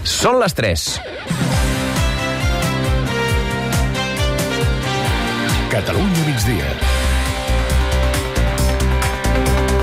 Són les 3. Catalunya migdia.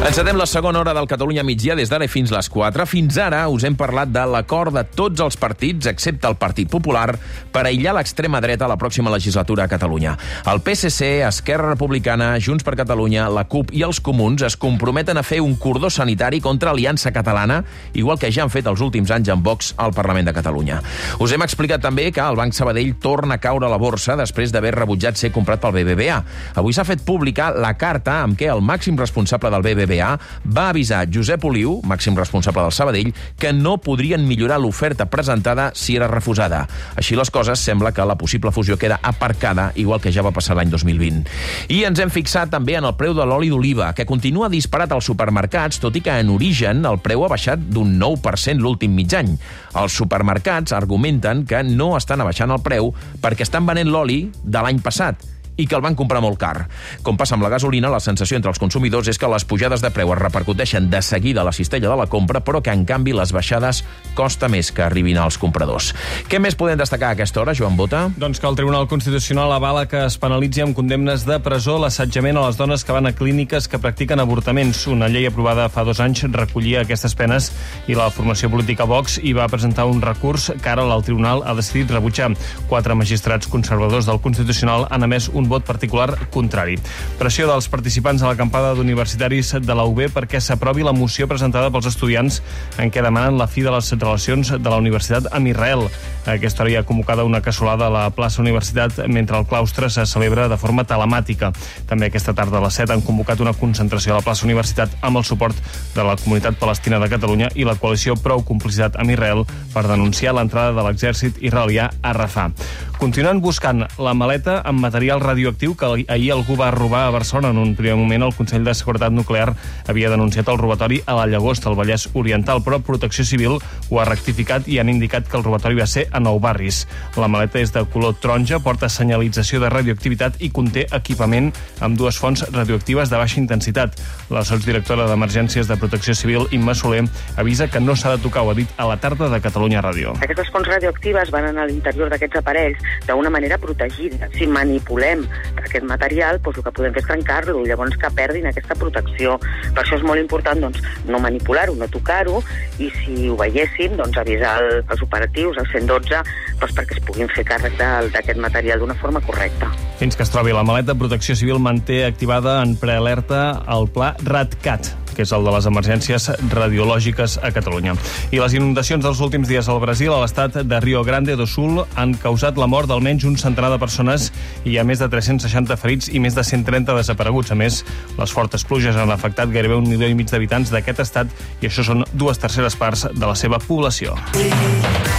Encetem la segona hora del Catalunya migdia des d'ara fins les 4. Fins ara us hem parlat de l'acord de tots els partits, excepte el Partit Popular, per aïllar l'extrema dreta a la pròxima legislatura a Catalunya. El PSC, Esquerra Republicana, Junts per Catalunya, la CUP i els Comuns es comprometen a fer un cordó sanitari contra Aliança Catalana, igual que ja han fet els últims anys amb Vox al Parlament de Catalunya. Us hem explicat també que el Banc Sabadell torna a caure a la borsa després d'haver rebutjat ser comprat pel BBVA. Avui s'ha fet pública la carta amb què el màxim responsable del BBVA va avisar Josep Oliu, màxim responsable del Sabadell, que no podrien millorar l'oferta presentada si era refusada. Així les coses, sembla que la possible fusió queda aparcada, igual que ja va passar l'any 2020. I ens hem fixat també en el preu de l'oli d'oliva, que continua disparat als supermercats, tot i que en origen el preu ha baixat d'un 9% l'últim mig any. Els supermercats argumenten que no estan abaixant el preu perquè estan venent l'oli de l'any passat i que el van comprar molt car. Com passa amb la gasolina, la sensació entre els consumidors és que les pujades de preu es repercuteixen de seguida a la cistella de la compra, però que, en canvi, les baixades costa més que arribin als compradors. Què més podem destacar a aquesta hora, Joan Bota? Doncs que el Tribunal Constitucional avala que es penalitzi amb condemnes de presó l'assetjament a les dones que van a clíniques que practiquen avortaments. Una llei aprovada fa 2 anys recollia aquestes penes i la formació política Vox hi va presentar un recurs que ara el Tribunal ha decidit rebutjar. 4 magistrats conservadors del Constitucional han emès un vot particular contrari. Pressió dels participants a l'acampada d'universitaris de la UB perquè s'aprovi la moció presentada pels estudiants en què demanen la fi de les relacions de la universitat amb Israel. A aquesta hora hi ha convocada una cassolada a la plaça Universitat mentre el claustre se celebra de forma telemàtica. També aquesta tarda a les 7 han convocat una concentració a la plaça Universitat amb el suport de la Comunitat Palestina de Catalunya i la coalició Prou Complicitat amb Israel per denunciar l'entrada de l'exèrcit israelià a Rafah. Continuen buscant la maleta amb material radioactiu que ahir algú va robar a Barcelona. En un primer moment, el Consell de Seguretat Nuclear havia denunciat el robatori a la Llagosta, al Vallès Oriental, però Protecció Civil ho ha rectificat i han indicat que el robatori va ser a Nou Barris. La maleta és de color taronja, porta senyalització de radioactivitat i conté equipament amb 2 fonts radioactives de baixa intensitat. La sotsdirectora d'Emergències de Protecció Civil, Imma Soler, avisa que no s'ha de tocar, ho ha dit a la tarda de Catalunya Ràdio. Aquestes fonts radioactives van a l'interior d'aquests aparells d'una manera protegida. Si manipulem aquest material, doncs el que podem fer és trencar-lo i llavors que perdin aquesta protecció. Per això és molt important no manipular-ho, no tocar-ho, i si ho veiéssim, avisar els operatius, al 112, perquè es puguin fer càrrec d'aquest material d'una forma correcta. Fins que es trobi la maleta, Protecció Civil manté activada en prealerta el pla RADCAT, que és el de les emergències radiològiques a Catalunya. I les inundacions dels últims dies al Brasil, a l'estat de Rio Grande do Sul, han causat la mort d'almenys un centenar de persones i hi ha més de 360 ferits i més de 130 desapareguts. A més, les fortes pluges han afectat gairebé 1,5 milió d'habitants d'aquest estat i això són 2/3 parts de la seva població.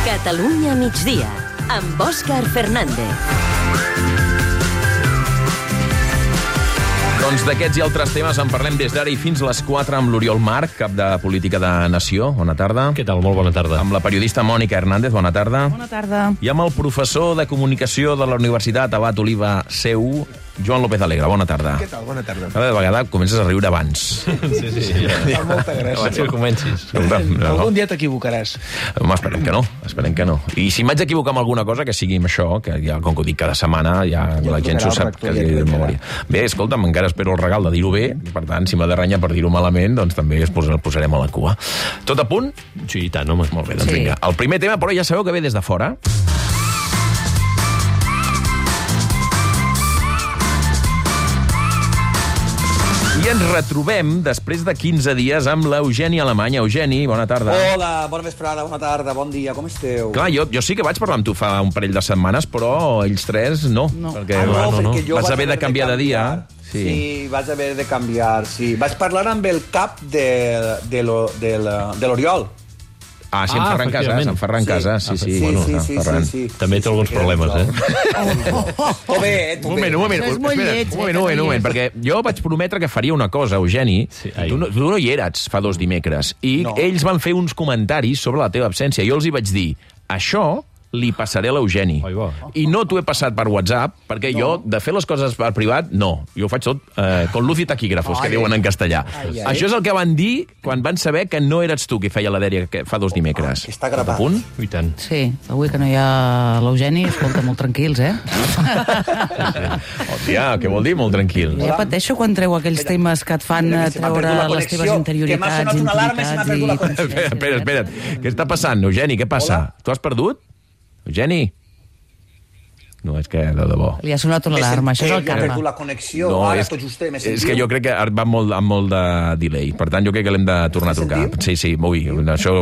Catalunya migdia, amb Òscar Fernández. Doncs d'aquests i altres temes en parlem des d'ara i fins les 4 amb l'Oriol Marc, cap de Política de Nació. Bona tarda. Què tal? Molt bona tarda. Amb la periodista Mònica Hernández. Bona tarda. Bona tarda. I amb el professor de Comunicació de la Universitat Abat Oliva CEU, Joan López Alegre. Bona tarda. Què tal? Bona tarda. Cada vegada comences a riure abans. Sí. Fa molta gràcia. Abans que comencis. Algun dia t'equivocaràs. Home, esperem que no. I si m'haig d'equivocar amb alguna cosa, que sigui amb això, que ja, com que ho dic cada setmana, ja la gent s'ho sap que de memòria. Bé, escolta'm, encara espero el regal de dir-ho bé, per tant, si m'ha de renyar per dir-ho malament, doncs també el posarem a la cua. Tot a punt? Sí, i tant, home. Molt bé, doncs vinga. El primer tema, però ja sabeu que ve des de fora. I ens retrobem després de 15 dies amb l'Eugeni Alemany. Eugeni, bona tarda. Hola, bona vesprada, bona tarda, bon dia, com esteu? Clar, jo sí que vaig parlar amb tu fa un parell de setmanes, però ells 3 no. Perquè, perquè jo vas haver de canviar de dia. Sí, vaig haver de canviar, sí. Vaig parlar amb el cap de l'Oriol. Ah, sí, en Ferran Casas, sí. Sí. També té alguns problemes, eh? Un moment, perquè jo vaig prometre que faria una cosa, Eugeni. Tu no hi eres fa 2 dimecres. I ells van fer uns comentaris sobre la teva absència. Jo els hi vaig dir, això li passaré a l'Eugeni. I no t'ho he passat per WhatsApp, perquè jo, de fer les coses per privat, no. Jo ho faig tot con luz i taquígrafos, que diuen en castellà. Això és el que van dir quan van saber que no eres tu qui feia la dèria fa 2 dimecres. Està gravat. I tant. Sí, avui que no hi ha l'Eugeni, escolta, molt tranquils, Hòstia, què vol dir molt tranquil? Ja pateixo quan treu aquells temes que et fan treure les teves interioritats, intimitats i... Espera't. Què està passant, Eugeni? Què passa? Tu has perdut? Eugeni? No, és que de debò. Li ha sonat una alarma, això és el karma. Jo he perdut la connexió, ara tot justet me sentiu. És que jo crec que va amb molt de delay. Per tant, jo crec que l'hem de tornar a trucar. Sí, ui, això...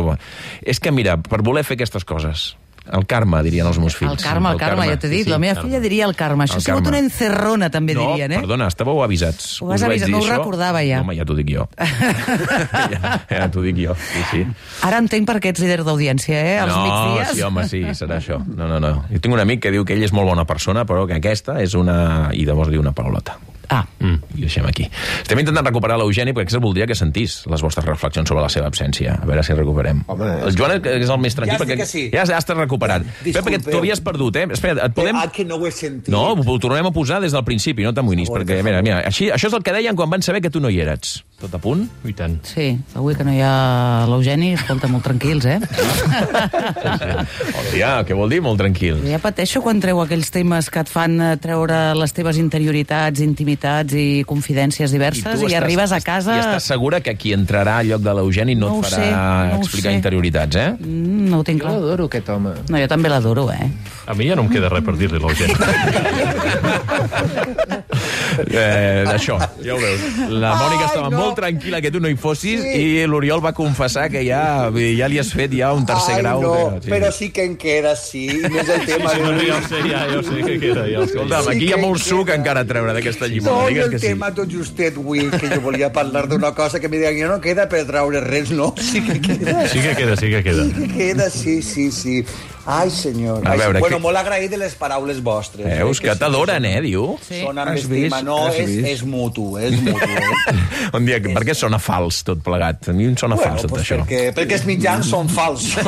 És que, mira, per voler fer aquestes coses... El karma, dirien els meus fills. El karma, ja t'he dit. La meva filla diria el karma. Això ha sigut una encerrona, també dirien, No, perdona, estàveu avisats. Ho vas avisar, no ho recordava ja. Home, ja t'ho dic jo. Ja t'ho dic jo, sí. Ara entenc per què ets líder d'audiència, als migdies. Sí, home, sí, serà això. No. Jo tinc un amic que diu que ell és molt bona persona, però que aquesta és una... I llavors diu una paraulota. I deixem aquí. Estem intentant recuperar l'Eugeni perquè voldria que sentís les vostres reflexions sobre la seva absència. A veure si recuperem. El Joan és el més tranquil perquè ja estàs recuperat. Perquè t'ho havies perdut, Espera, et podem... que no ho he sentit. No, ho tornem a posar des del principi, no t'amoïnis, perquè, mira, això és el que deien quan van saber que tu no hi eres. Tot a punt? I tant. Sí, avui que no hi ha l'Eugeni, escolta, molt tranquils, Hòstia, què vol dir molt tranquils? Ja pateixo quan treu aquells temes que et fan treure les teves interioritats, intimitats i confidències diverses i arribes a casa... I estàs segura que qui entrarà al lloc de l'Eugeni no et farà explicar interioritats, No ho tinc clar. Jo l'adoro, aquest home. No, jo també l'adoro, A mi ja no em queda res per dir-li a l'Eugeni. Això, ja ho veus. La Mònica estava molt tranquil·la que tu no hi fossis i l'Oriol va confessar que ja li has fet un tercer grau. Però sí que en queda, sí. No és el tema. Ja ho sé que queda. Escolta'm, aquí hi ha molt suc encara a treure d'aquesta llimona. No, el tema tot justet, avui, que jo volia parlar d'una cosa que me diuen que no queda per treure res, no? Sí que queda. Sí que queda. Sí que queda, sí. Ai, senyor. Bueno, molt agraït de les paraules vostres. Veus que t'adoren, diu? Sona amb estima. No, és mutu, Un dia, per què sona fals tot plegat? A mi em sona fals tot això. Perquè els mitjans són falsos.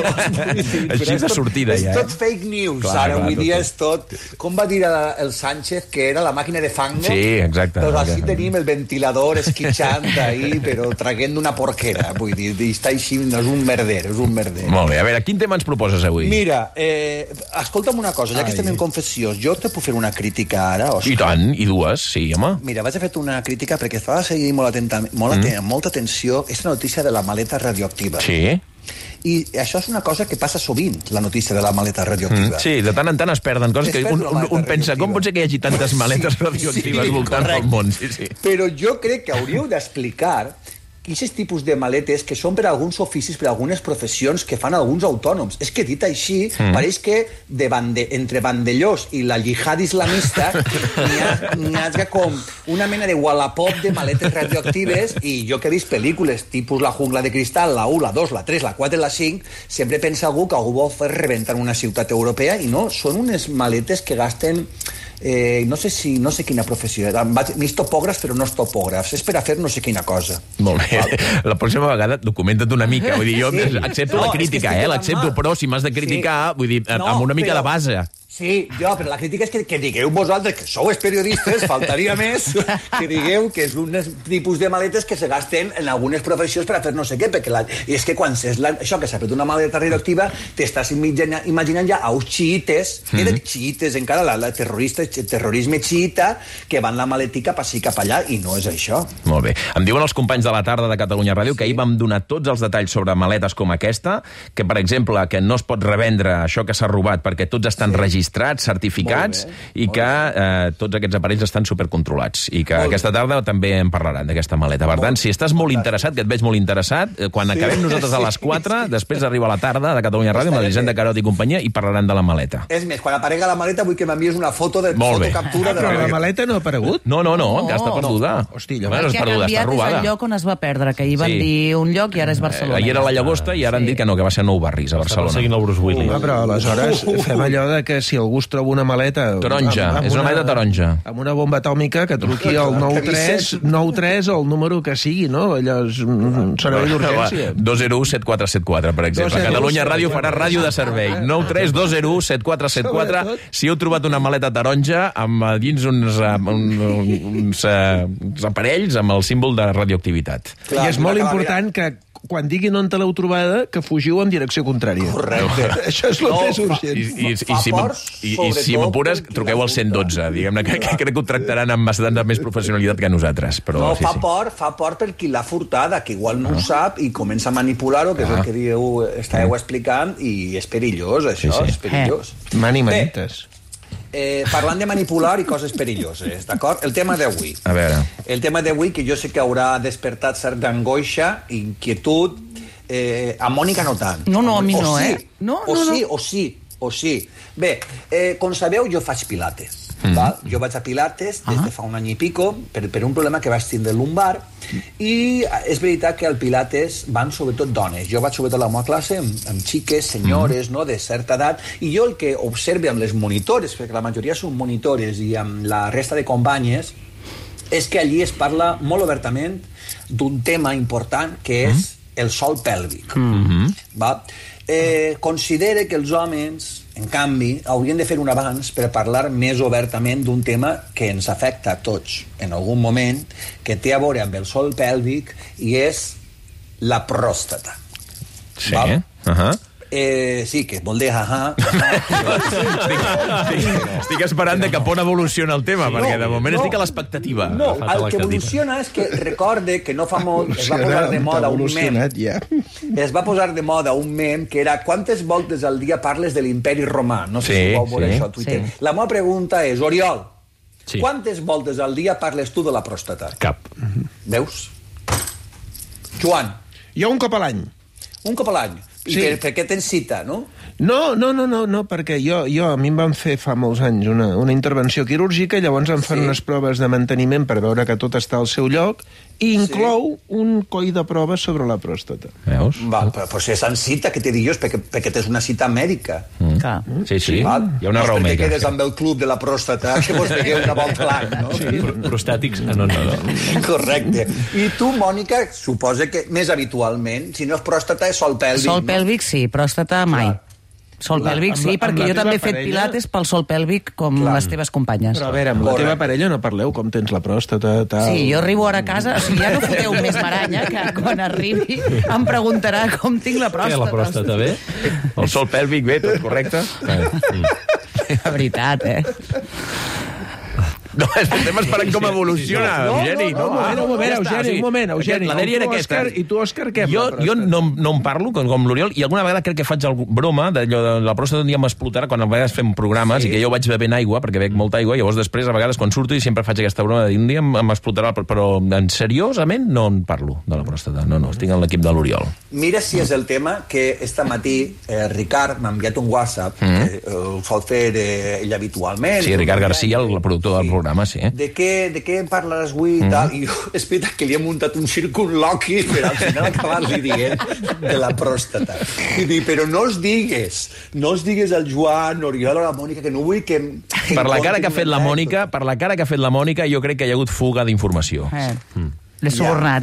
Així de sortida, ja. És tot fake news, ara. Avui dia és tot... Com va dir el Sánchez, que era la màquina de fango? Sí, exacte. Doncs així tenim el ventilador esquitxant ahí, però traguent d'una porquera, vull dir. Està així, no és un merder, Molt bé, a veure, quin tema ens proposes avui? Mira, escolta'm una cosa, ja que estem en confessió, jo te puc fer una crítica ara, Òscar? I tant, i dues, sí, home. Mira, vaig a fer una crítica perquè estava seguint molta atenció aquesta notícia de la maleta radioactiva. Sí. I això és una cosa que passa sovint, la notícia de la maleta radioactiva. Sí, de tant en tant es perden coses que un pensa, com pot ser que hi hagi tantes maletes radioactives voltant pel món? Sí. Però jo crec que hauríeu d'explicar aquests tipus de maletes que són per alguns oficis, per algunes professions que fan alguns autònoms. És que dit així, pareix que entre Vandellós i la jihad islamista n'hi ha com una mena de wallapop de maletes radioactives i jo que he vist pel·lícules tipus La jungla de cristal, la 1, la 2, la 3, la 4 i la 5, sempre pensa algú que algú vol fer rebentar una ciutat europea i no, són unes maletes que gasten... no sé quina professió. M'és topògrafs, però no és topògrafs. És per a fer no sé quina cosa. Molt bé. La pròxima vegada documenta't una mica. Vull dir, jo accepto la crítica, l'accepto, però si m'has de criticar, vull dir, amb una mica de base. Sí, però la crítica és que digueu vosaltres, que sou els periodistes, faltaria més, que digueu que és un tipus de maletes que se gasten en algunes professions per a fer no sé què, perquè és que quan és això que s'ha fet una maleta radioactiva, t'estàs imaginant ja uns xiites, xiites encara, terrorisme xiita, que van la maletica cap ací cap allà, i no és això. Molt bé. Em diuen els companys de la tarda de Catalunya Ràdio que ahir vam donar tots els detalls sobre maletes com aquesta, que, per exemple, que no es pot revendre això que s'ha robat perquè tots estan registrats, certificats, i que tots aquests aparells estan supercontrolats. I que aquesta tarda també en parlaran, d'aquesta maleta. Per tant, si estàs molt interessat, que et veig molt interessat, quan acabem nosaltres a les 4, després arriba la tarda de Catalunya Ràdio amb l'Elisenda Carot i companyia i parlaran de la maleta. És més, quan aparega la maleta vull que m'envies una foto de fotocaptura de la maleta. Però la maleta no ha aparegut? No, encara està perduda. Hòstia, no és perduda, està robada. És el lloc on es va perdre, que ahir van dir un lloc i ara és Barcelona. Ahir era la Llagosta i ara han dit que no, que va ser Nou Barris, a Barcelona. Seguint el Bruce Willis. Però aleshores fem allò de que si si algú es troba una maleta... Taronja, és una maleta taronja. Amb una bomba atòmica, que truqui al 93 o el número que sigui, no? Allò és un servei d'urgència. 201-7474, per exemple. Catalunya Ràdio farà ràdio de servei. 93-201-7474. Si heu trobat una maleta taronja amb dins uns aparells amb el símbol de radioactivitat. I és molt important que quan diguin on te l'heu trobada, que fugiu en direcció contrària. Correcte. Això és el més urgent. I si m'apures, truqueu al 112. Diguem-ne que crec que ho tractaran amb bastant més professionalitat que nosaltres. Però, fa por per qui l'ha furtada, que igual no ho sap i comença a manipular-ho, que és el que estàveu explicant, i és perillós, això, és perillós. Manites. Parlant de manipular i coses perilloses, d'acord? El tema d'avui. A veure. El tema d'avui, que jo sé que haurà despertat certa angoixa, inquietud, a Mònica no tant. No, a mi no, O sí. Bé, com sabeu, jo faig pilates. Jo vaig a pilates des de fa un any i pico per un problema que vaig tindre lumbar, i és veritat que al pilates van sobretot dones. Jo vaig sobretot a la meva classe amb xiques, senyores, no, de certa edat, i jo el que observe amb les monitores, perquè la majoria són monitores, i amb la resta de companyes, és que allí es parla molt obertament d'un tema important que és el sòl pèlvic. Considere que els homes, en canvi, haurien de fer un avanç per parlar més obertament d'un tema que ens afecta a tots en algun moment, que té a veure amb el sòl pèlvic, i és la pròstata. Sí, sí, que vol dir Estic esperant de cap on evoluciona el tema, perquè de moment estic a l'expectativa. No, el que evoluciona és que recorde que no fa molt es va posar de moda un mem. Es va posar de moda un mem que era quantes voltes al dia parles de l'imperi romà. No sé si vau veure això a Twitter. La meva pregunta és, Oriol, quantes voltes al dia parles tu de la pròstata? Cap. Veus? Joan? Jo un cop a l'any. Un cop a l'any? I per què tens cita, no? No, perquè a mi em van fer fa molts anys una intervenció quirúrgica, llavors em fan unes proves de manteniment per veure que tot està al seu lloc, i inclou un coll de proves sobre la pròstata. Veus? Però si és en cita, què t'he dit jo? És perquè tens una cita mèdica. Sí, hi ha una raó mèdica. No és perquè quedes amb el club de la pròstata, que vos vegueu una volta a l'any, no? Prostàtics, no. Correcte. I tu, Mònica, suposa que més habitualment, si no és pròstata, és sòl pèlvic. Sòl pèlvic, sí, pròstata mai. Sol pèlvic, sí, perquè jo també he fet pilates pel sol pèlvic com les teves companyes. Però a veure, amb la teva parella no parleu com tens la pròstata, tal... Sí, jo arribo ara a casa, o sigui, ja no foteu més maranya, que quan arribi em preguntarà com tinc la pròstata. Què, la pròstata bé? El sol pèlvic bé, tot correcte? La veritat, No, estem esperant com evoluciona, Eugeni. Un moment, Eugeni. La dèria era aquesta. I tu, Òscar, què? Jo no en parlo, com l'Oriol, i alguna vegada crec que faig broma d'allò de la pròstata un dia m'explotarà quan a vegades fem programes i que jo vaig bevent aigua, perquè bec molta aigua, i llavors després, a vegades, quan surto, i sempre faig aquesta broma de dir un dia m'explotarà, però seriosament no en parlo de la pròstata. No, estic en l'equip de l'Oriol. Mira si és el tema que esta matí Ricard m'ha enviat un WhatsApp, el sol fer ell habitualment. Sí, Ricard Garcia, el productor del programa. Sí. De què parlaràs avui i tal, i és veritat que li he muntat un circunloqui per al final acabar-li dient de la pròstata. I dic, però no els digues al Joan, Oriol o la Mònica, que no vull que per la cara que ha fet la Mònica, jo crec que hi ha hagut fuga d'informació. L'he subornat.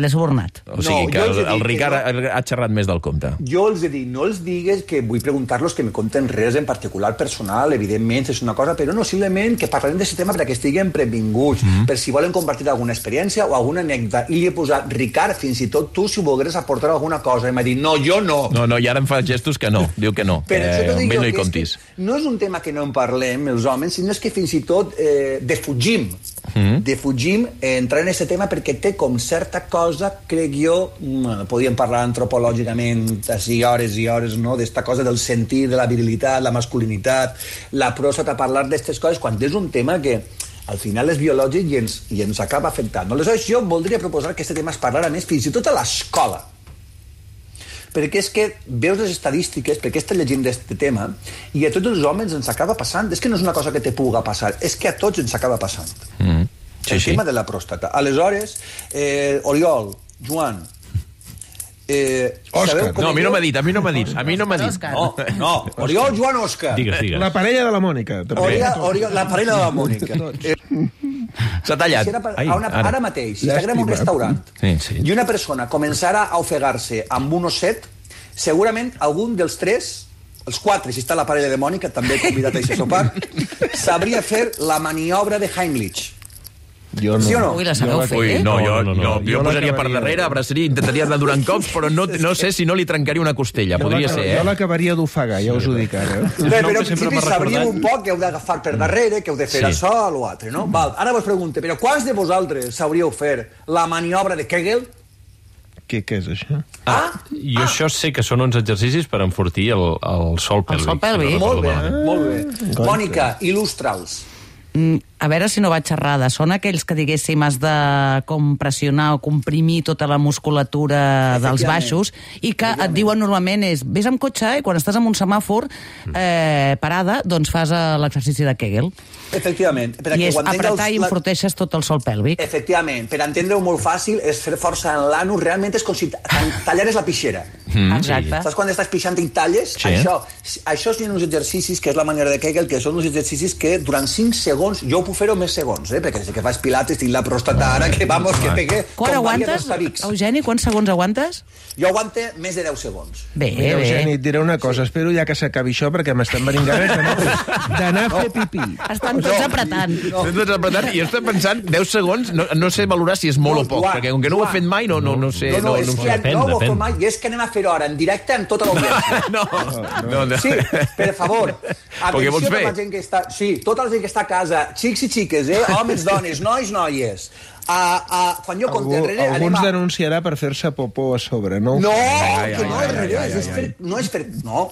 O sigui que el Ricard ha xerrat més del compte. Jo els he dit, no els digues que vull preguntar-los que me conten res en particular personal, evidentment, és una cosa, però no, simplement que parlarem d'aquest tema perquè estiguen previnguts, per si volen compartir alguna experiència o alguna anècdota. I li he posat, Ricard, fins i tot tu, si volgueres aportar alguna cosa, i m'ha dit, no, jo no. No, i ara em fa gestos que no, diu que no. Però això no hi comptis. No és un tema que no en parlem, els homes, sinó és que fins i tot defugim entrar en aquest tema perquè té com certa cosa, crec jo, podíem parlar antropològicament així hores i hores, no?, d'esta cosa del sentir, de la virilitat, la masculinitat, la pròstata, parlar d'aquestes coses, quan és un tema que al final és biològic i ens acaba afectant. Aleshores, jo voldria proposar que aquest tema es parlara més fins i tot a l'escola. Perquè és que veus les estadístiques, perquè estàs llegint d'aquest tema, i a tots els homes ens acaba passant. És que no és una cosa que te puga passar, és que a tots ens acaba passant. El tema de la pròstata. Aleshores, Oriol, Joan, Òscar. No, a mi no m'ha dit, a mi no m'ha dit. No, Oriol, Joan, Òscar. Digues. La parella de la Mònica. També. Oriol, la parella de la Mònica. S'ha tallat. Ara mateix, si estiguem en un restaurant Sí. i una persona començara a ofegar-se amb un osset, segurament algun dels tres, els quatre, si està la parella de Mònica, també convidat a aquest sopar, sabria fer la maniobra de Heimlich. Jo no. Sí o no? Ui, la sabeu fer, Ui, no, jo posaria per l'acabaria. darrere, abraçaria, intentaria anar durant cops, però no sé si no li trencaria una costella. Podria ser, Jo l'acabaria d'ofegar, ja us ho dic ara. Bé, però en principi sabríem un poc que heu d'agafar per darrere, que heu de fer això o l'altre, no? Val, ara vos pregunto, però quants de vosaltres sabríeu fer la maniobra de Kegel? Què és això? Jo això sé que són uns exercicis per enfortir el sol pèlvic. sol pèlvic. Molt bé. Mònica, il·lustra'ls. A veure si no vaig errada. Són aquells que, diguéssim, has de com pressionar o comprimir tota la musculatura dels baixos i que et diuen normalment és vés amb cotxe i quan estàs en un semàfor parada, doncs fas l'exercici de Kegel. Efectivament. I és apretar i enforteixes tot el sol pèlvic. Efectivament. Per entendre-ho molt fàcil, és fer força en l'anus. Realment és com si tallares la pixera. Exacte. Saps quan estàs pixant i talles? Sí. Això són uns exercicis, que és la manera de Kegel, que són uns exercicis que durant 5 segons, jo ho puc fer-ho més segons, perquè sé que fas pilates, tinc la pròstata ara, que vamos, que pegue... Quan aguantes, Eugeni? Quants segons aguantes? Jo aguante més de 10 segons. Bé, Mira, Eugeni, et diré una cosa. Espero ja que s'acabi això, perquè m'estan venint ganes d'anar a fer pipí. Estan tots apretant. I jo estic pensant, 10 segons, no sé valorar si és molt o poc, perquè com que no ho he fet mai, no sé... No, és que no ho he fet mai, i és que anem a fer-ho ara, en directe, amb tota l'audiència. No. Sí, per favor. Què vols fer? La gent que està, sí, tota la gent que està a casa, xics i xiques, homes, dones, nois, noies. Quan jo compte enrere... Alguns denunciarà per fer-se popó a sobre, no? No, que no, al revés. No és fer... No,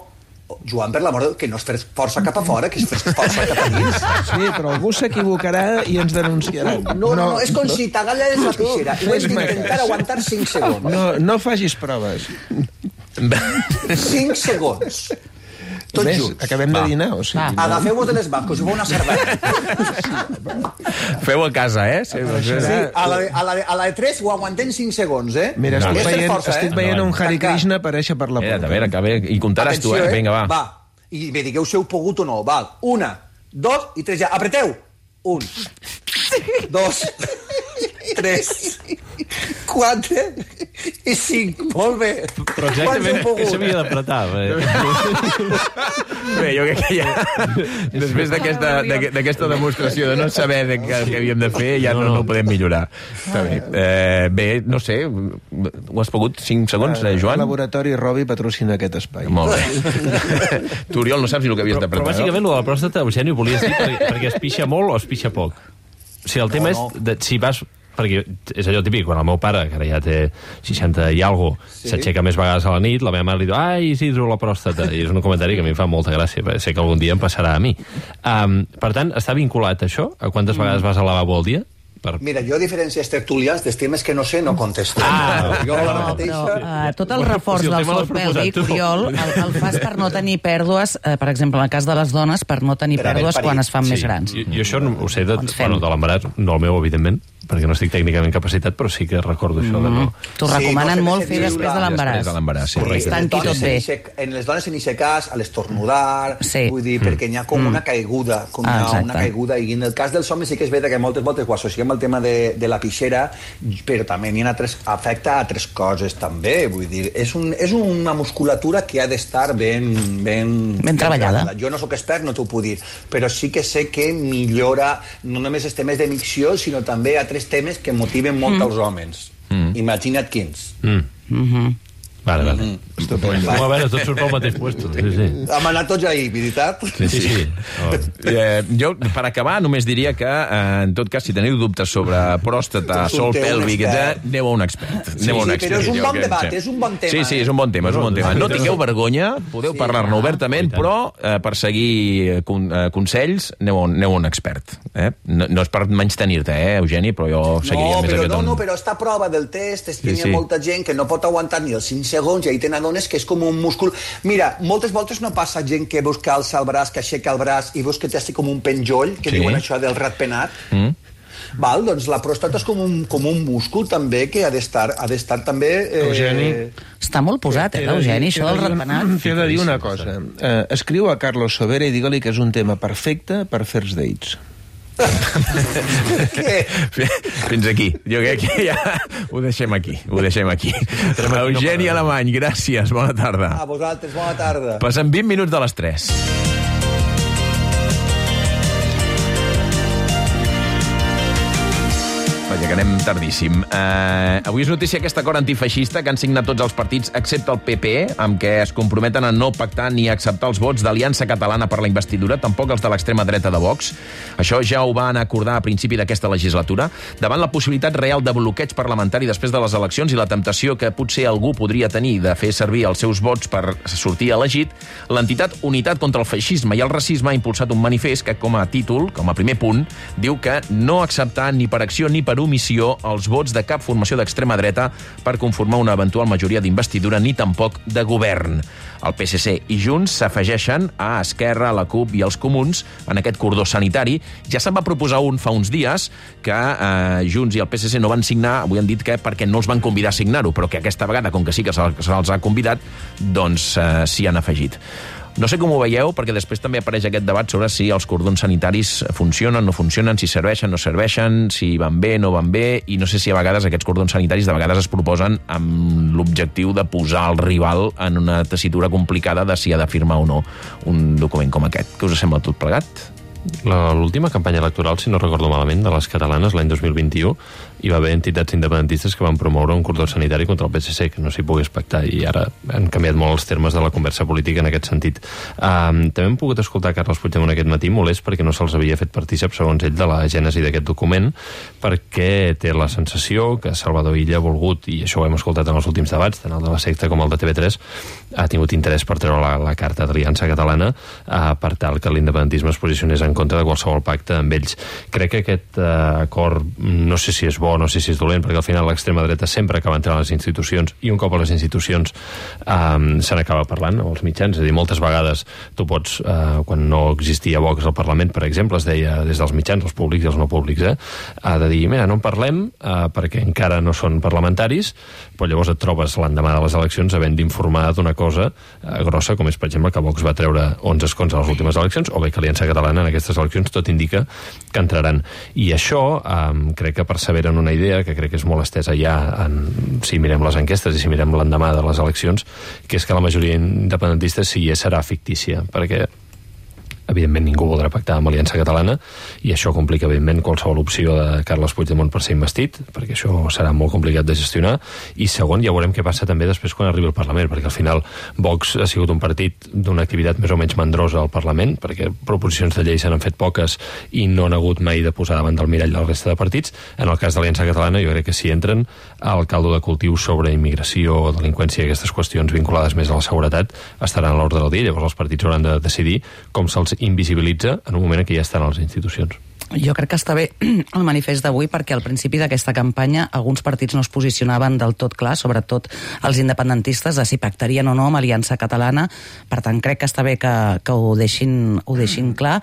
Joan, per l'amor de Déu, que no és fer força cap a fora, que és fer força cap a dins. Sí, però algú s'equivocarà i ens denunciarà. No, és com si t'agalles la pixera i ho has d'intentar aguantar 5 segons. No facis proves. 5 segons. Tots Ves, junts. acabem de dinar, o sigui... Agafeu-vos de les mans, com si fos una sardana. Feu a casa, Sí, a la de 3 ho aguantem 5 segons, Mira, estic veient un Hare Krishna aparèixer per la porta. A veure, i comptaràs tu, vinga, va. Va, i me digueu si heu pogut o no. Val, 1, 2 i 3 ja. Apreteu! 1, 2, 3, 4 i 5. Molt bé. Però exactament què s'havia d'apretar? Bé, jo crec que ja... Després d'aquesta demostració de no saber què havíem de fer, ja no ho podem millorar. Està bé. Bé, no sé, ho has pogut 5 segons, Joan? El laboratori Robi patrocina aquest espai. Molt bé. Tu, Oriol, no saps el que havies d'apretar, Però bàsicament, el de la pròstata, Eugeni, ho volies dir perquè es pixa molt o es pixa poc. O sigui, el tema és si vas... Perquè és allò típic, quan el meu pare, que ara ja té 60 i alguna cosa, s'aixeca més vegades a la nit, la meva mare li diu, ai, Isidro, la pròstata. I és un comentari que a mi em fa molta gràcia, perquè sé que algun dia em passarà a mi. Per tant, està vinculat això? A quantes vegades vas al lavabo al dia? Mira, jo, a diferència dels tertulians, dels temes que no sé, no contesto. Tot el reforç del sol pèlvic, Oriol, el fas per no tenir pèrdues, per exemple, en el cas de les dones, per no tenir pèrdues quan es fan més grans. Jo això ho sé de l'embaràs, no el meu, evidentment, perquè no estic tècnicament capacitat, però sí que recordo això de no... T'ho recomanen molt fer després de l'embaràs. Es tanqui tot bé. En les dones, en aquest cas, a l'estornudar, vull dir, perquè hi ha com una caiguda, i en el cas dels homes sí que és veritat que moltes voltes ho associem al tema de la pixera, però també afecta a altres coses, també, vull dir, és una musculatura que ha d'estar ben treballada. Jo no sóc expert, no t'ho puc dir, però sí que sé que millora no només els temes de micció, sinó també altres temes que motiven molt als homes. Imagina't quins. Vale. A veure, tots surt pel mateix puesto. Hem anat tots ahir, veritat? Sí. Jo, per acabar, només diria que, en tot cas, si teniu dubtes sobre pròstata, sol pèlvic, aneu a un expert. Però és un bon debat, és un bon tema. Sí, és un bon tema. No tingueu vergonya, podeu parlar-ne obertament, però per seguir consells, aneu a un expert. No és per menys-tenir-te, Eugeni, però jo seguiria més aquest... No, però esta prova del test és que hi ha molta gent que no pot aguantar ni els 5 segons, i ahí tenen dones que és com un múscul. Mira, moltes voltes no passa gent que veus que alça el braç, que aixeca el braç i veus que té així com un penjoll, que diuen això del ratpenat. Val? Doncs la pròstata és com un múscul també que ha d'estar també... Eugeni. Està molt posat, Eugeni, això del ratpenat. T'he de dir una cosa. Escriu a Carlos Sobera i digue-li que és un tema perfecte per first dates. Fins aquí. Jo crec que ja ho deixem aquí. Eugeni Alemany, gràcies, bona tarda. A vosaltres, bona tarda. Passen 20 minuts de les 3. Vaja, que anem tardíssim. Avui és notícia aquest acord antifeixista que han signat tots els partits, excepte el PP, amb què es comprometen a no pactar ni acceptar els vots d'Aliança Catalana per la investidura, tampoc els de l'extrema dreta de Vox. Això ja ho van acordar a principi d'aquesta legislatura. Davant la possibilitat real de bloqueig parlamentari després de les eleccions i la temptació que potser algú podria tenir de fer servir els seus vots per sortir elegit, l'entitat Unitat contra el Feixisme i el Racisme ha impulsat un manifest que, com a títol, com a primer punt, diu que no acceptar ni per acció ni per omissió els vots de cap formació d'extrema dreta per conformar una eventual majoria d'investidura ni tampoc de govern. El PSC i Junts s'afegeixen a Esquerra, la CUP i els Comuns en aquest cordó sanitari. Ja se'n va proposar un fa uns dies que Junts i el PSC no van signar, avui han dit que perquè no els van convidar a signar-ho, però que aquesta vegada, com que sí que se'ls ha convidat, doncs s'hi han afegit. No sé com ho veieu, perquè després també apareix aquest debat sobre si els cordons sanitaris funcionen, no funcionen, si serveixen, no serveixen, si van bé, no van bé, i no sé si a vegades aquests cordons sanitaris de vegades es proposen amb l'objectiu de posar el rival en una tessitura complicada de si ha de firmar o no un document com aquest. Què us sembla tot plegat? L'última campanya electoral, si no recordo malament, de les catalanes, l'any 2021, hi va haver entitats independentistes que van promoure un cordó sanitari contra el PSC, que no s'hi pogués pactar, i ara han canviat molt els termes de la conversa política en aquest sentit. També hem pogut escoltar Carles Puigdemont aquest matí, molest perquè no se'ls havia fet partícip, segons ell, de la gènesi d'aquest document, perquè té la sensació que Salvador Illa ha volgut, i això ho hem escoltat en els últims debats, tant el de la secta com el de TV3, ha tingut interès per treure la carta d'Aliança Catalana per tal que l'independentisme es posicionés en contra de qualsevol pacte amb ells. Crec que aquest acord, no sé si és bo, no sé si és dolent, perquè al final l'extrema dreta sempre acaba entrant a les institucions, i un cop a les institucions se n'acaba parlant als mitjans. És a dir, moltes vegades tu pots, quan no existia Vox al Parlament, per exemple, es deia des dels mitjans, els públics i els no públics, de dir, mira, no en parlem perquè encara no són parlamentaris, però llavors et trobes l'endemà de les eleccions havent d'informar d'una cosa grossa, com és, per exemple, que Vox va treure 11 escons a les últimes eleccions, o bé que Aliança Catalana en aquestes eleccions tot indica que entraran. I això crec que persevera en una idea que crec que és molt estesa ja si mirem les enquestes i si mirem l'endemà de les eleccions, que és que la majoria independentista sí serà fictícia, perquè evidentment ningú voldrà pactar amb Aliança Catalana, i això complica evidentment qualsevol opció de Carles Puigdemont per ser investit, perquè això serà molt complicat de gestionar. I segon, ja veurem què passa també després quan arribi al Parlament, perquè al final Vox ha sigut un partit d'una activitat més o menys mandrosa al Parlament, perquè proposicions de llei se n'han fet poques i no han hagut mai de posar davant del mirall de la resta de partits. En el cas d'Aliança Catalana jo crec que si entren al caldo de cultiu sobre immigració, delinqüència i aquestes qüestions vinculades més a la seguretat estaran a l'ordre del dia. Llavors els partits hauran de decidir com se'ls invisibilitza en un moment en què ja estan a les institucions. Jo crec que està bé el manifest d'avui perquè al principi d'aquesta campanya alguns partits no es posicionaven del tot clar, sobretot els independentistes, de si pactarien o no amb Aliança Catalana. Per tant, crec que està bé que ho deixin clar.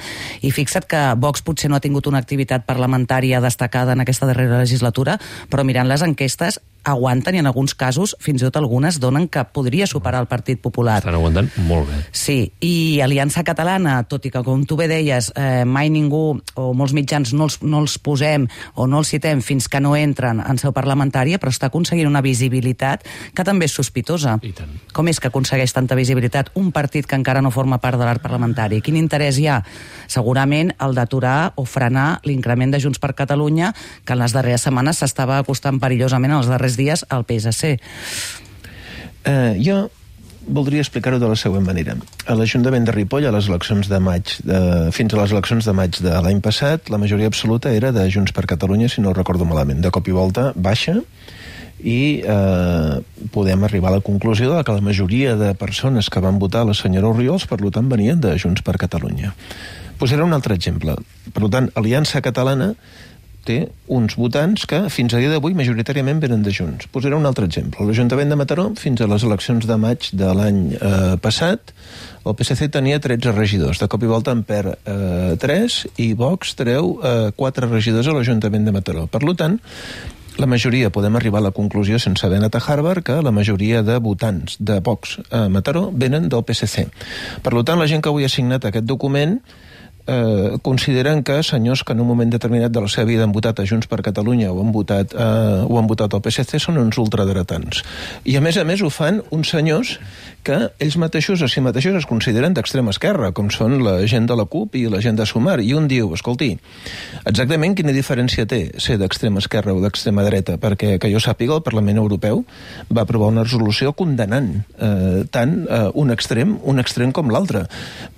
I fixa't que Vox potser no ha tingut una activitat parlamentària destacada en aquesta darrera legislatura, però mirant les enquestes aguanten, i en alguns casos, fins i tot algunes, donen que podria superar el Partit Popular. Estan aguantant molt bé. Sí, i Aliança Catalana, tot i que, com tu bé deies, mai ningú, o molts mitjans no els posem o no els citem fins que no entren en seu parlamentària, però està aconseguint una visibilitat que també és sospitosa. I tant. Com és que aconsegueix tanta visibilitat un partit que encara no forma part de l'arc parlamentari? Quin interès hi ha? Segurament el d'aturar o frenar l'increment de Junts per Catalunya, que en les darreres setmanes s'estava acostant perillosament en els darrers dies al PSC. Jo voldria explicar-ho de la següent manera. A l'Ajuntament de Ripoll, a les eleccions de maig, fins a les eleccions de maig de l'any passat, la majoria absoluta era de Junts per Catalunya, si no ho recordo malament. De cop i volta baixa, i podem arribar a la conclusió de que la majoria de persones que van votar la senyora Orriols, per tant, venien de Junts per Catalunya. Posaré un altre exemple. Per tant, Aliança Catalana té uns votants que fins a dia d'avui majoritàriament venen de Junts. Posaré un altre exemple. L'Ajuntament de Mataró, fins a les eleccions de maig de l'any passat, el PSC tenia 13 regidors. De cop i volta en perd 3 i Vox treu 4 regidors a l'Ajuntament de Mataró. Per tant, la majoria, podem arribar a la conclusió sense haver anat a Harvard, que la majoria de votants de Vox a Mataró venen del PSC. Per tant, la gent que avui ha signat aquest document consideren que senyors que en un moment determinat de la seva vida han votat a Junts per Catalunya o han votat al PSC són uns ultradretans. I a més ho fan uns senyors que ells mateixos a si mateixos es consideren d'extrema esquerra, com són la gent de la CUP i la gent de Sumar. I un diu, escolti, exactament quina diferència té ser d'extrema esquerra o d'extrema dreta? Perquè, que jo sàpiga, el Parlament Europeu va aprovar una resolució condenant tant un extrem com l'altre.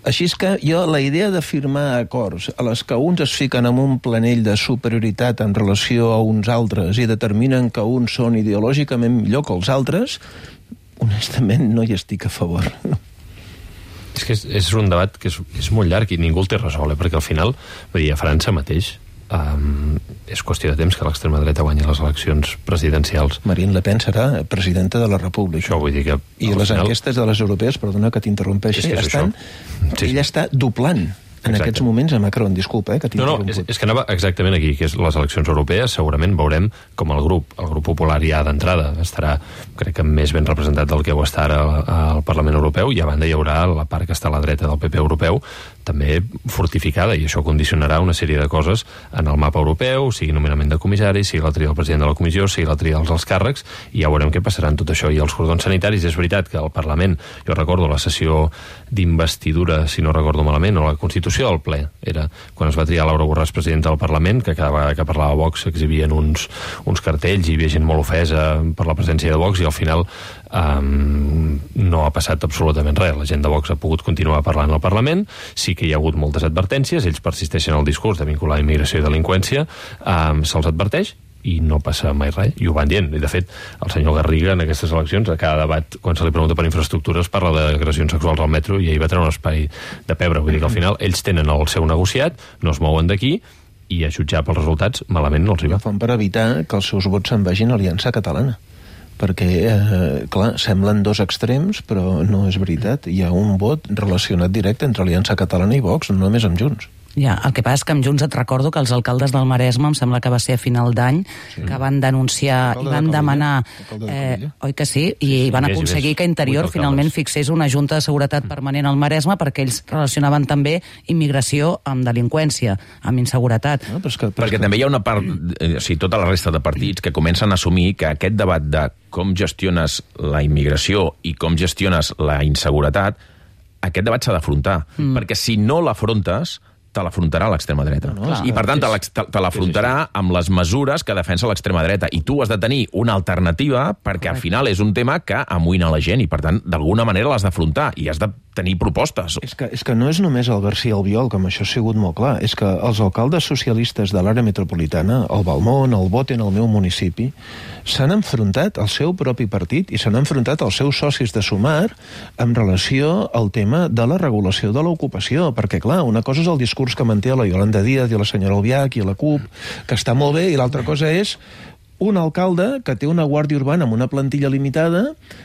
Així és que jo, la idea de firmar acords a les que uns es fiquen en un planell de superioritat en relació a uns altres i determinen que uns són ideològicament millor que els altres, honestament no hi estic a favor. És que és un debat que és molt llarg i ningú el té resolt, perquè al final, vull dir, a França mateix és qüestió de temps que l'extrema dreta guanyi les eleccions presidencials. Marine Le Pen serà presidenta de la República. Això vull dir que... I les enquestes de les europees, perdona que t'interrompeixi, ella està doblant en aquests moments a Macron, disculpa, que t'interromput. És que anava exactament aquí, que és les eleccions europees, segurament veurem com el grup popular ja d'entrada estarà, crec que més ben representat del que ho està ara al Parlament Europeu, i a banda hi haurà la part que està a la dreta del PP europeu, també fortificada, i això condicionarà una sèrie de coses en el mapa europeu, sigui nomenament de comissaris, sigui la tria del president de la comissió, sigui la tria dels alts càrrecs, i ja veurem què passarà en tot això. I els cordons sanitaris, és veritat que el Parlament, jo recordo la sessió d'investidura, si no recordo malament, o la Constitució del ple, era quan es va triar Laura Borràs presidenta del Parlament, que cada vegada que parlava Vox s'exhibien uns cartells i hi havia gent molt ofesa per la presència de Vox, i al final no ha passat absolutament res. La gent de Vox ha pogut continuar parlant al Parlament, sí que hi ha hagut moltes advertències, ells persisteixen en el discurs de vincular immigració i delinqüència, se'ls adverteix i no passa mai res, i ho van dient. I de fet, el senyor Garriga en aquestes eleccions, a cada debat, quan se li pregunta per infraestructures, parla d'agressions sexuals al metro, i ahir va treure un espai de pebre. Vull dir que al final ells tenen el seu negociat, no es mouen d'aquí, i a jutjar pels resultats malament no els hi va. Ho fan per evitar que els seus vots se'n vagin a Aliança Catalana, perquè, clar, semblen dos extrems, però no és veritat. Hi ha un vot relacionat directe entre Aliança Catalana i Vox, no només amb Junts. Ja, el que passa és que amb Junts et recordo que els alcaldes del Maresme, em sembla que va ser a final d'any, que van denunciar i van demanar, oi que sí, i van aconseguir que Interior finalment fixés una junta de seguretat permanent al Maresme, perquè ells relacionaven també immigració amb delinqüència, amb inseguretat. Perquè també hi ha una part, o sigui, tota la resta de partits que comencen a assumir que aquest debat de com gestiones la immigració i com gestiones la inseguretat, aquest debat s'ha d'afrontar, perquè si no l'afrontes, te l'afrontarà l'extrema dreta. I, per tant, te l'afrontarà amb les mesures que defensa l'extrema dreta. I tu has de tenir una alternativa perquè, al final, és un tema que amoïna la gent i, per tant, d'alguna manera l'has d'afrontar i has de tenir propostes. És que no és només el García Albiol, com això ha sigut molt clar. És que els alcaldes socialistes de l'àrea metropolitana, el Balmón, el Boten, el meu municipi, s'han enfrontat al seu propi partit i s'han enfrontat als seus socis de Sumar en relació al tema de la regulació de l'ocupació. Perquè, clar, una cosa és el discurs que manté la Yolanda Díaz i la senyora Albiach i la CUP, que està molt bé, i l'altra cosa és un alcalde que té una guàrdia urbana amb una plantilla limitada,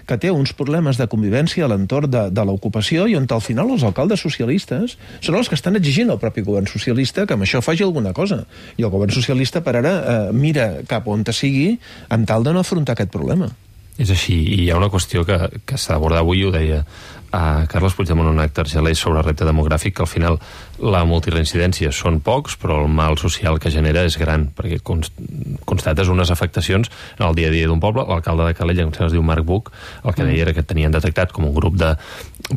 que té uns problemes de convivència a l'entorn de l'ocupació, i on al final els alcaldes socialistes són els que estan exigint al propi govern socialista que amb això faci alguna cosa. I el govern socialista per ara mira cap on sigui amb tal de no afrontar aquest problema. És així, i hi ha una qüestió que s'ha d'abordar avui, ho deia Carles Puigdemont en un acte argelès sobre el repte demogràfic, que al final la multireincidència són pocs, però el mal social que genera és gran, perquè constates unes afectacions en el dia a dia d'un poble. L'alcalde de Calella, que es diu Marc Buch, el que deia era que tenien detectat com un grup de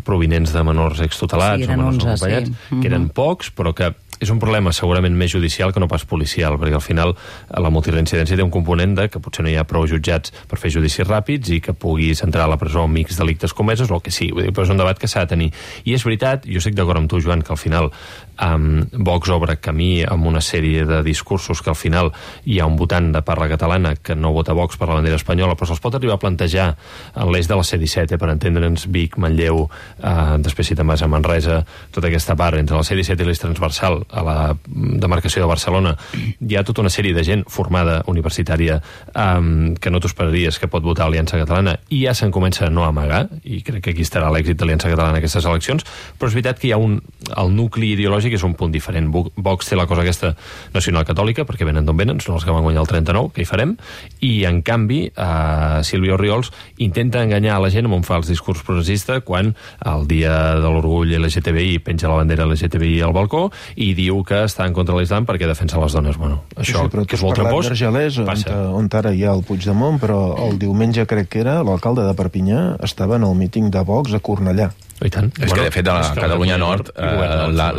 provinents de menors extutelats o menors no acompanyats, que eren pocs, però que és un problema segurament més judicial que no pas policial, perquè al final la multireincidència té un component de que potser no hi ha prou jutjats per fer judicis ràpids i que puguis entrar a la presó amb X delictes comesos o el que sí, però és un debat que s'ha de tenir. I és veritat, jo estic d'acord amb tu, Joan, que al final Vox obre camí amb una sèrie de discursos que al final hi ha un votant de parla catalana que no vota Vox per la bandera espanyola, però se'ls pot arribar a plantejar en l'eix de la C-17, per entendre'ns, Vic, Manlleu, després si te'n vas a Manresa, tota aquesta part entre la C-17 i l'eix transversal, a la demarcació de Barcelona hi ha tota una sèrie de gent formada universitària que no t'ho esperaries que pot votar Aliança Catalana, i ja se'n comença a no amagar, i crec que aquí estarà l'èxit d'Aliança Catalana en aquestes eleccions, però és veritat que hi ha el nucli ideològic és un punt diferent. Vox té la cosa aquesta nacional catòlica, perquè venen d'on venen, són els que van guanyar el 39, que hi farem, i en canvi Sílvia Orriols intenta enganyar a la gent amb un fals discurs progressista quan el dia de l'orgull LGTBI penja la bandera LGTBI al balcó i diu que està en contra de l'Islam perquè defensa les dones. Bueno, això, però que és molt trampós, passa. On ara hi ha el Puigdemont, però el diumenge crec que era l'alcalde de Perpinyà estava en el míting de Vox a Cornellà. I tant. És que, de fet, a la Catalunya Nord,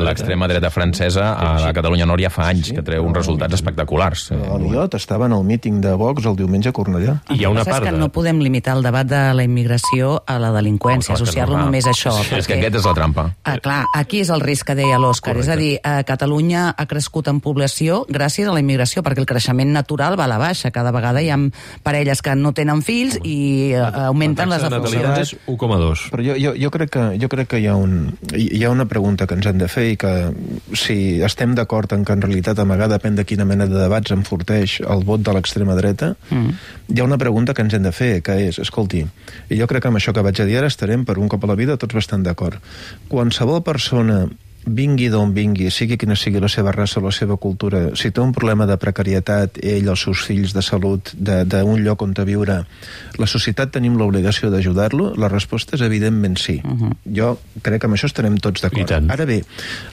l'extrema dreta francesa a la Catalunya Nord ja fa anys que treu uns resultats espectaculars. Aliot estava en el míting de Vox el diumenge a Cornellà. I hi ha una part que no podem limitar el debat de la immigració a la delinqüència, associar-lo només a això. És que aquest és la trampa. Clar, aquí és el risc que deia l'Òscar. És a dir, Catalunya ha crescut en població gràcies a la immigració, perquè el creixement natural va a la baixa. Cada vegada hi ha parelles que no tenen fills i augmenten les natalitats. 1,2. Però jo crec que hi ha una pregunta que ens hem de fer, i que si estem d'acord en que en realitat amagar depèn de quina mena de debats enforteix el vot de l'extrema dreta, hi ha una pregunta que ens hem de fer, que és, escolti, i jo crec que amb això que vaig a dir ara estarem per un cop a la vida tots bastant d'acord. Qualsevol persona, vingui d'on vingui, sigui quina sigui la seva raça o la seva cultura, si té un problema de precarietat, ell, els seus fills, de salut, d'un lloc on viure, la societat tenim l'obligació d'ajudar-lo? La resposta és evidentment sí. Jo crec que amb això estarem tots d'acord. Ara bé,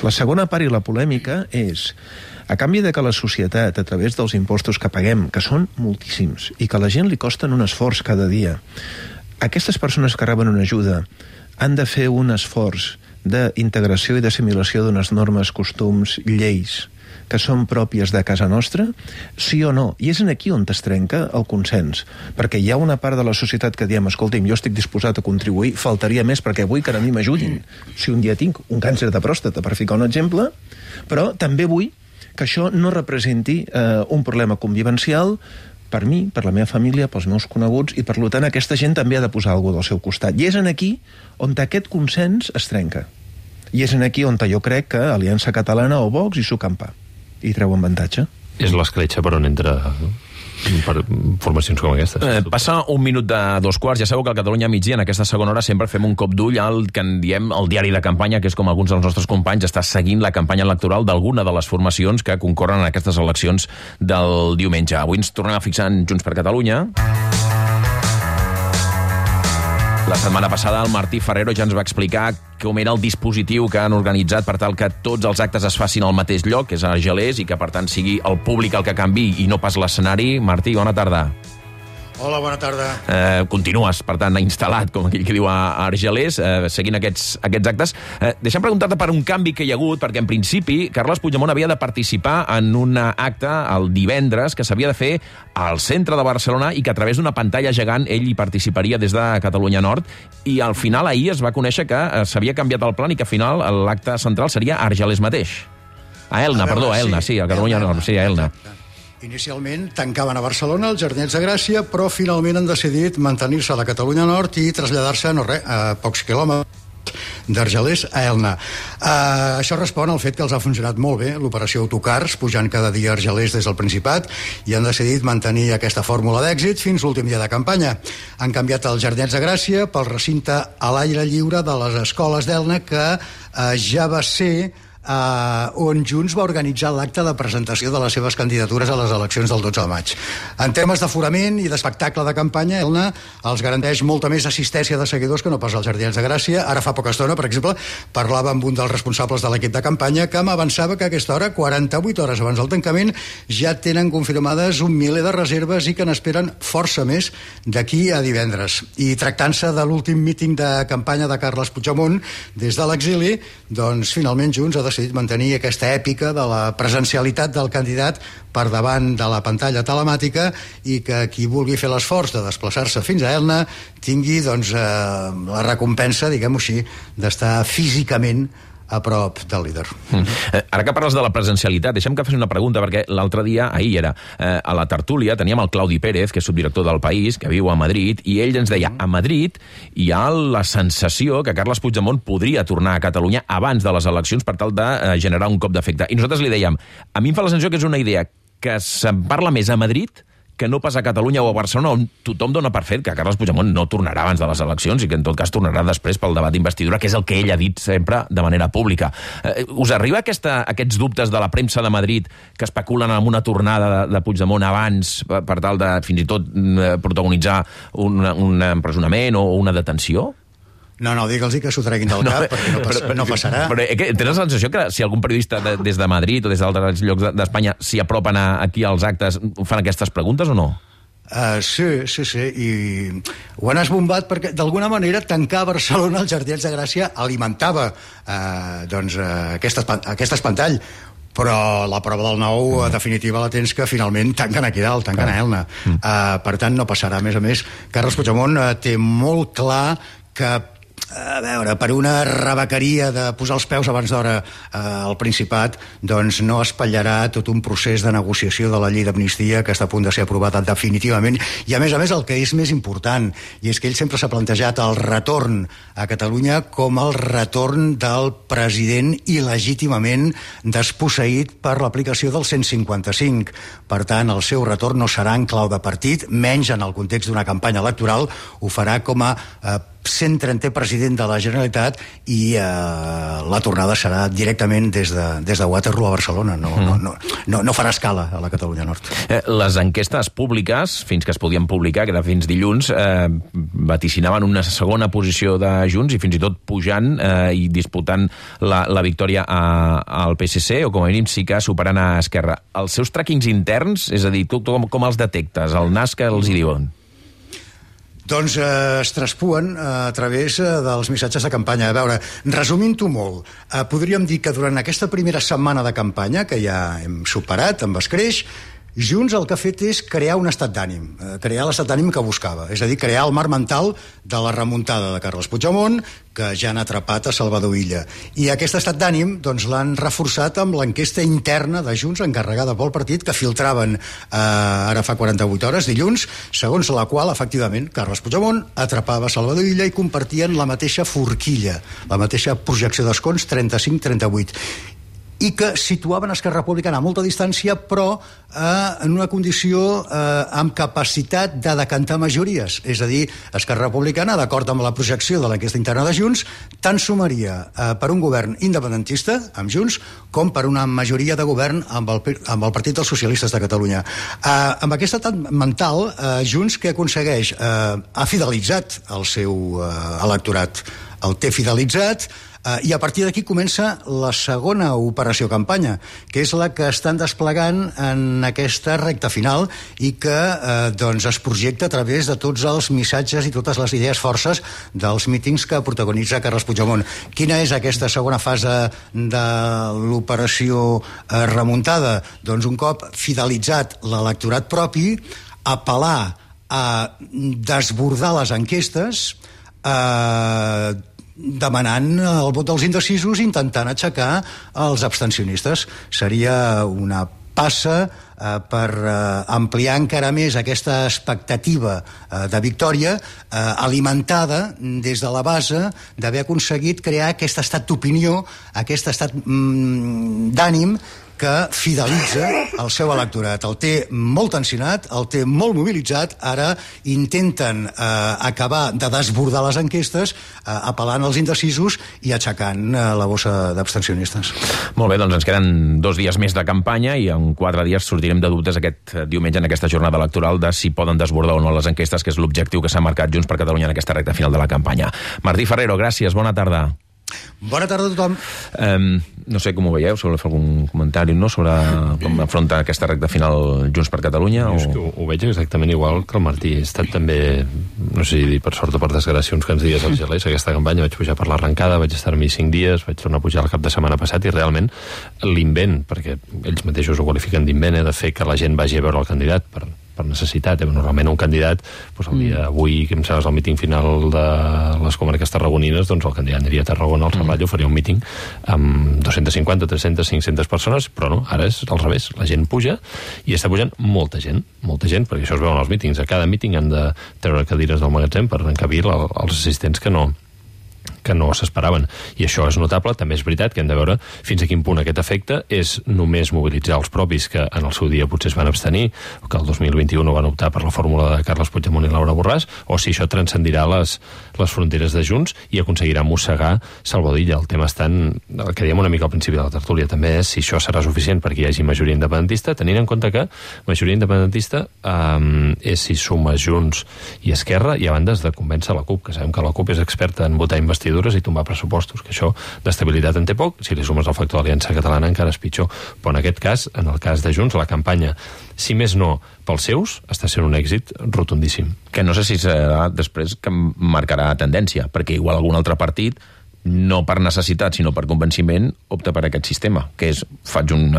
la segona part i la polèmica és, a canvi de que la societat, a través dels impostos que paguem, que són moltíssims, i que a la gent li costen un esforç cada dia, aquestes persones que reben una ajuda han de fer un esforç d'integració i d'assimilació d'unes normes, costums, lleis que són pròpies de casa nostra, sí o no? I és aquí on es trenca el consens, perquè hi ha una part de la societat que diem, escolti'm, jo estic disposat a contribuir, faltaria més perquè vull que a mi m'ajudin si un dia tinc un càncer de pròstata, per ficar un exemple, però també vull que això no representi un problema convivencial per mi, per la meva família, pels meus coneguts, i per tant aquesta gent també ha de posar alguna cosa del seu costat. I és aquí on aquest consens es trenca. I és aquí on jo crec que Aliança Catalana o Vox hi s'ho campa i treuen avantatge. És l'escletxa per on entra per formacions com aquestes. Passa un minut de 2:15. Ja sabeu que al Catalunya Migdia, en aquesta segona hora, sempre fem un cop d'ull al que en diem el diari de campanya, que és com alguns dels nostres companys està seguint la campanya electoral d'alguna de les formacions que concorren en aquestes eleccions del diumenge. Avui ens tornem a fixar en Junts per Catalunya. La setmana passada el Martí Ferrero ja ens va explicar com era el dispositiu que han organitzat per tal que tots els actes es facin al mateix lloc, que és a Argelers, i que per tant sigui el públic el que canviï i no pas l'escenari. Martí, bona tarda. Hola, bona tarda. Continues, per tant, instal·lat, com aquell que diu a Argelers, seguint aquests actes. Deixa'm preguntar-te per un canvi que hi ha hagut, perquè en principi Carles Puigdemont havia de participar en un acte el divendres que s'havia de fer al centre de Barcelona i que a través d'una pantalla gegant ell hi participaria des de Catalunya Nord, i al final ahir es va conèixer que s'havia canviat el plan i que al final l'acte central seria a Argelers mateix. A Elna, sí, a Catalunya Nord, sí, a Elna. Inicialment tancaven a Barcelona els Jardins de Gràcia, però finalment han decidit mantenir-se a la Catalunya Nord i traslladar-se a pocs quilòmetres d'Argelers a Elna. Això respon al fet que els ha funcionat molt bé l'operació autocars, pujant cada dia a Argelers des del Principat, i han decidit mantenir aquesta fórmula d'èxit fins l'últim dia de campanya. Han canviat els Jardins de Gràcia pel recinte a l'aire lliure de les escoles d'Elna, que ja va ser on Junts va organitzar l'acte de presentació de les seves candidatures a les eleccions del 12 de maig. En temes d'aforament i d'espectacle de campanya, Elna els garanteix molta més assistència de seguidors que no pas als Jardins de Gràcia. Ara fa poca estona, per exemple, parlava amb un dels responsables de l'equip de campanya que m'avançava que a aquesta hora, 48 hores abans del tancament, ja tenen confirmades un miler de reserves i que n'esperen força més d'aquí a divendres. I tractant-se de l'últim míting de campanya de Carles Puigdemont des de l'exili, doncs finalment Junts ha decidit mantenir aquesta èpica de la presencialitat del candidat per davant de la pantalla telemàtica, i que qui vulgui fer l'esforç de desplaçar-se fins a Elna tingui doncs, la recompensa, diguem-ho així, d'estar físicament a prop del líder. Ara que parles de la presencialitat, deixa'm que faci una pregunta, perquè l'altre dia, ahir era, a la tertúlia, teníem el Claudi Pérez, que és subdirector del País, que viu a Madrid, i ell ens deia, a Madrid hi ha la sensació que Carles Puigdemont podria tornar a Catalunya abans de les eleccions per tal de generar un cop d'efecte. I nosaltres li dèiem, a mi em fa la sensació que és una idea que se'n parla més a Madrid que no pas a Catalunya o a Barcelona, on tothom dona per fet que Carles Puigdemont no tornarà abans de les eleccions i que en tot cas tornarà després pel debat d'investidura, que és el que ell ha dit sempre de manera pública. Us arriba aquests dubtes de la premsa de Madrid que especulen amb una tornada de Puigdemont abans per tal de fins i tot protagonitzar un empresonament o una detenció? No, digue'ls que s'ho treguin del cap, perquè no passarà. Però tens la sensació que si algun periodista des de Madrid o des d'altres llocs d'Espanya s'hi apropen aquí als actes, fan aquestes preguntes o no? Sí, i ho han esbombat perquè d'alguna manera tancar Barcelona als Jardins de Gràcia alimentava aquest espantall, però la prova del nou definitiva la tens que finalment tanquen aquí dalt, tanquen a Elna. Per tant no passarà. A més, Carles Puigdemont té molt clar que a veure, per una rebequeria de posar els peus abans d'hora al Principat, doncs no espatllarà tot un procés de negociació de la llei d'amnistia que està a punt de ser aprovat definitivament. I a més, el que és més important, i és que ell sempre s'ha plantejat el retorn a Catalunya com el retorn del president il·legítimament desposseït per l'aplicació del 155. Per tant, el seu retorn no serà en clau de partit, menys en el context d'una campanya electoral, ho farà com a 130è president de la Generalitat i la tornada serà directament des de Waterloo a Barcelona. No farà escala a la Catalunya Nord. Les enquestes públiques, fins que es podien publicar, que era fins dilluns, vaticinaven una segona posició de Junts i fins i tot pujant i disputant la victòria al PSC, o com a mínim sí que superant a Esquerra. Els seus tràquings interns, és a dir, tu com els detectes? El nas que els hi diuen? Doncs es traspuen a través dels missatges de campanya. A veure, resumint-ho molt, podríem dir que durant aquesta primera setmana de campanya, que ja hem superat amb escreix, Junts el que ha fet és crear un estat d'ànim, crear l'estat d'ànim que buscava, és a dir, crear el marc mental de la remuntada de Carles Puigdemont, que ja han atrapat a Salvador Illa. I aquest estat d'ànim doncs, l'han reforçat amb l'enquesta interna de Junts encarregada pel partit que filtraven ara fa 48 hores, dilluns, segons la qual, efectivament, Carles Puigdemont atrapava Salvador Illa i compartien la mateixa forquilla, la mateixa projecció d'escons 35-38. I que situaven Esquerra Republicana a molta distància, però en una condició amb capacitat de decantar majories. És a dir, Esquerra Republicana, d'acord amb la projecció de l'enquesta interna de Junts, tant sumaria per un govern independentista, amb Junts, com per una majoria de govern amb el Partit dels Socialistes de Catalunya. Amb aquest estat mental, Junts que aconsegueix? Ha fidelitzat el seu electorat. El té fidelitzat, i a partir d'aquí comença la segona operació campanya, que és la que estan desplegant en aquesta recta final i que es projecta a través de tots els missatges i totes les idees forces dels mítings que protagonitza Carles Puigdemont. Quina és aquesta segona fase de l'operació remuntada? Doncs un cop fidelitzat l'electorat propi, apel·lar a desbordar les enquestes, demanant el vot dels indecisos, intentant aixecar els abstencionistes. Seria una passa per ampliar encara més aquesta expectativa de victòria, alimentada des de la base d'haver aconseguit crear aquest estat d'opinió, aquest estat d'ànim que fidelitza el seu electorat. El té molt tensionat, el té molt mobilitzat. Ara intenten acabar de desbordar les enquestes, apel·lant als indecisos i aixecant la bossa d'abstencionistes. Molt bé, doncs ens queden 2 dies més de campanya i en 4 dies sortirem de dubtes aquest diumenge en aquesta jornada electoral de si poden desbordar o no les enquestes, que és l'objectiu que s'ha marcat Junts per Catalunya en aquesta recta final de la campanya. Martí Ferrero, gràcies, bona tarda. Bona tarda a tothom. No sé com ho veieu, si voleu fer algun comentari sobre com afronta aquesta recta final Junts per Catalunya. Jo és que ho veig exactament igual que el Martí. He estat també, no sé si dir per sort o per desgràcia, uns quants dies als gelers aquesta campanya. Vaig pujar per l'arrencada, vaig estar-m'hi 5 dies, vaig tornar a pujar el cap de setmana passat i realment l'invent, perquè ells mateixos ho qualifiquen d'invent, de fer que la gent vagi a veure el candidat per necessitat. Normalment un candidat, doncs el dia d'avui, que em sembla el míting final de les comarques tarragonines, doncs el candidat aniria a Tarragona, al Serrallo, faria un míting amb 250, 300, 500 persones, però no, ara és al revés. La gent puja i està pujant molta gent, perquè això es veu en els mítings. A cada míting han de treure cadires del magatzem per encabir els assistents que no s'esperaven. I això és notable. També és veritat que hem de veure fins a quin punt aquest efecte és només mobilitzar els propis que en el seu dia potser es van abstenir, o que el 2021 van optar per la fórmula de Carles Puigdemont i Laura Borràs, o si això transcendirà les fronteres de Junts i aconseguirà mossegar Salvador Illa. El tema està en el que dèiem una mica al principi de la tertúlia, també és si això serà suficient perquè hi hagi majoria independentista, tenint en compte que majoria independentista és si suma Junts i Esquerra, i a banda has de convèncer la CUP, que sabem que la CUP és experta en votar investidures i tombar pressupostos, que això d'estabilitat en té poc. Si li sumes el factor Aliança Catalana encara és pitjor. Però en aquest cas, en el cas de Junts, la campanya, si més no pels seus, està sent un èxit rotundíssim. Que no sé si serà després que marcarà tendència, perquè igual algun altre partit, no per necessitat sinó per convenciment, opta per aquest sistema, que és faig un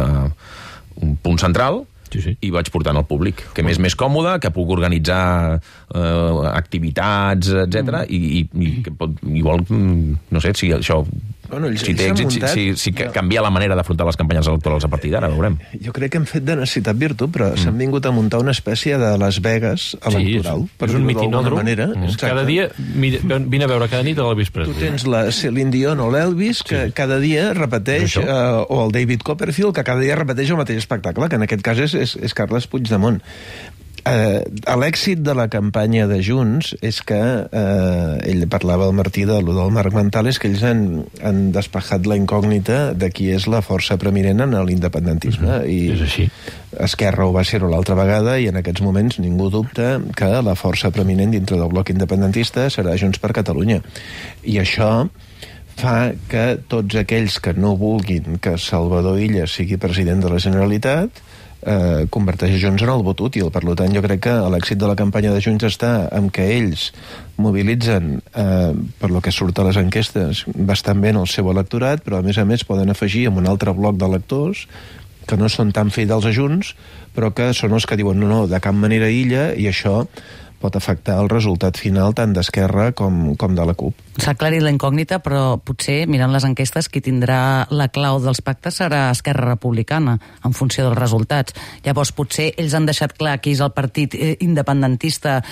punt central i vaig portant al públic, que m'és més còmode, que puc organitzar activitats, etc. I que pot, igual, no sé, si això si té èxit, si canvia la manera d'afrontar les campanyes electorals a partir d'ara, veurem. Jo crec que hem fet de necessitat virtut, però s'han vingut a muntar una espècie de Las Vegas electoral. És un mitinòdrom. Cada dia, vine a veure cada nit a l'Elvis Presley. Tu tens la Celine Dion o l'Elvis, que cada dia repeteix, o el David Copperfield, que cada dia repeteix el mateix espectacle, que en aquest cas és Carles Puigdemont. L'èxit de la campanya de Junts és que ell parlava al Martí del Marc Mentales, que ells han despejat la incògnita de qui és la força preeminent en l'independentisme. És així. Esquerra ho va ser l'altra vegada i en aquests moments ningú dubta que la força preeminent dintre del bloc independentista serà Junts per Catalunya. I això fa que tots aquells que no vulguin que Salvador Illa sigui president de la Generalitat converteix Junts en el vot útil. Per tant, jo crec que l'èxit de la campanya de Junts està en que ells mobilitzen, per lo que surt a les enquestes, bastant bé el seu electorat, però a més poden afegir en un altre bloc d'electors que no són tan fidels a Junts, però que són els que diuen no, de cap manera Illa, i això pot afectar el resultat final tant d'Esquerra com de la CUP. S'ha aclarit la incògnita, però potser, mirant les enquestes, qui tindrà la clau dels pactes serà Esquerra Republicana, en funció dels resultats. Llavors, potser ells han deixat clar qui és el partit independentista,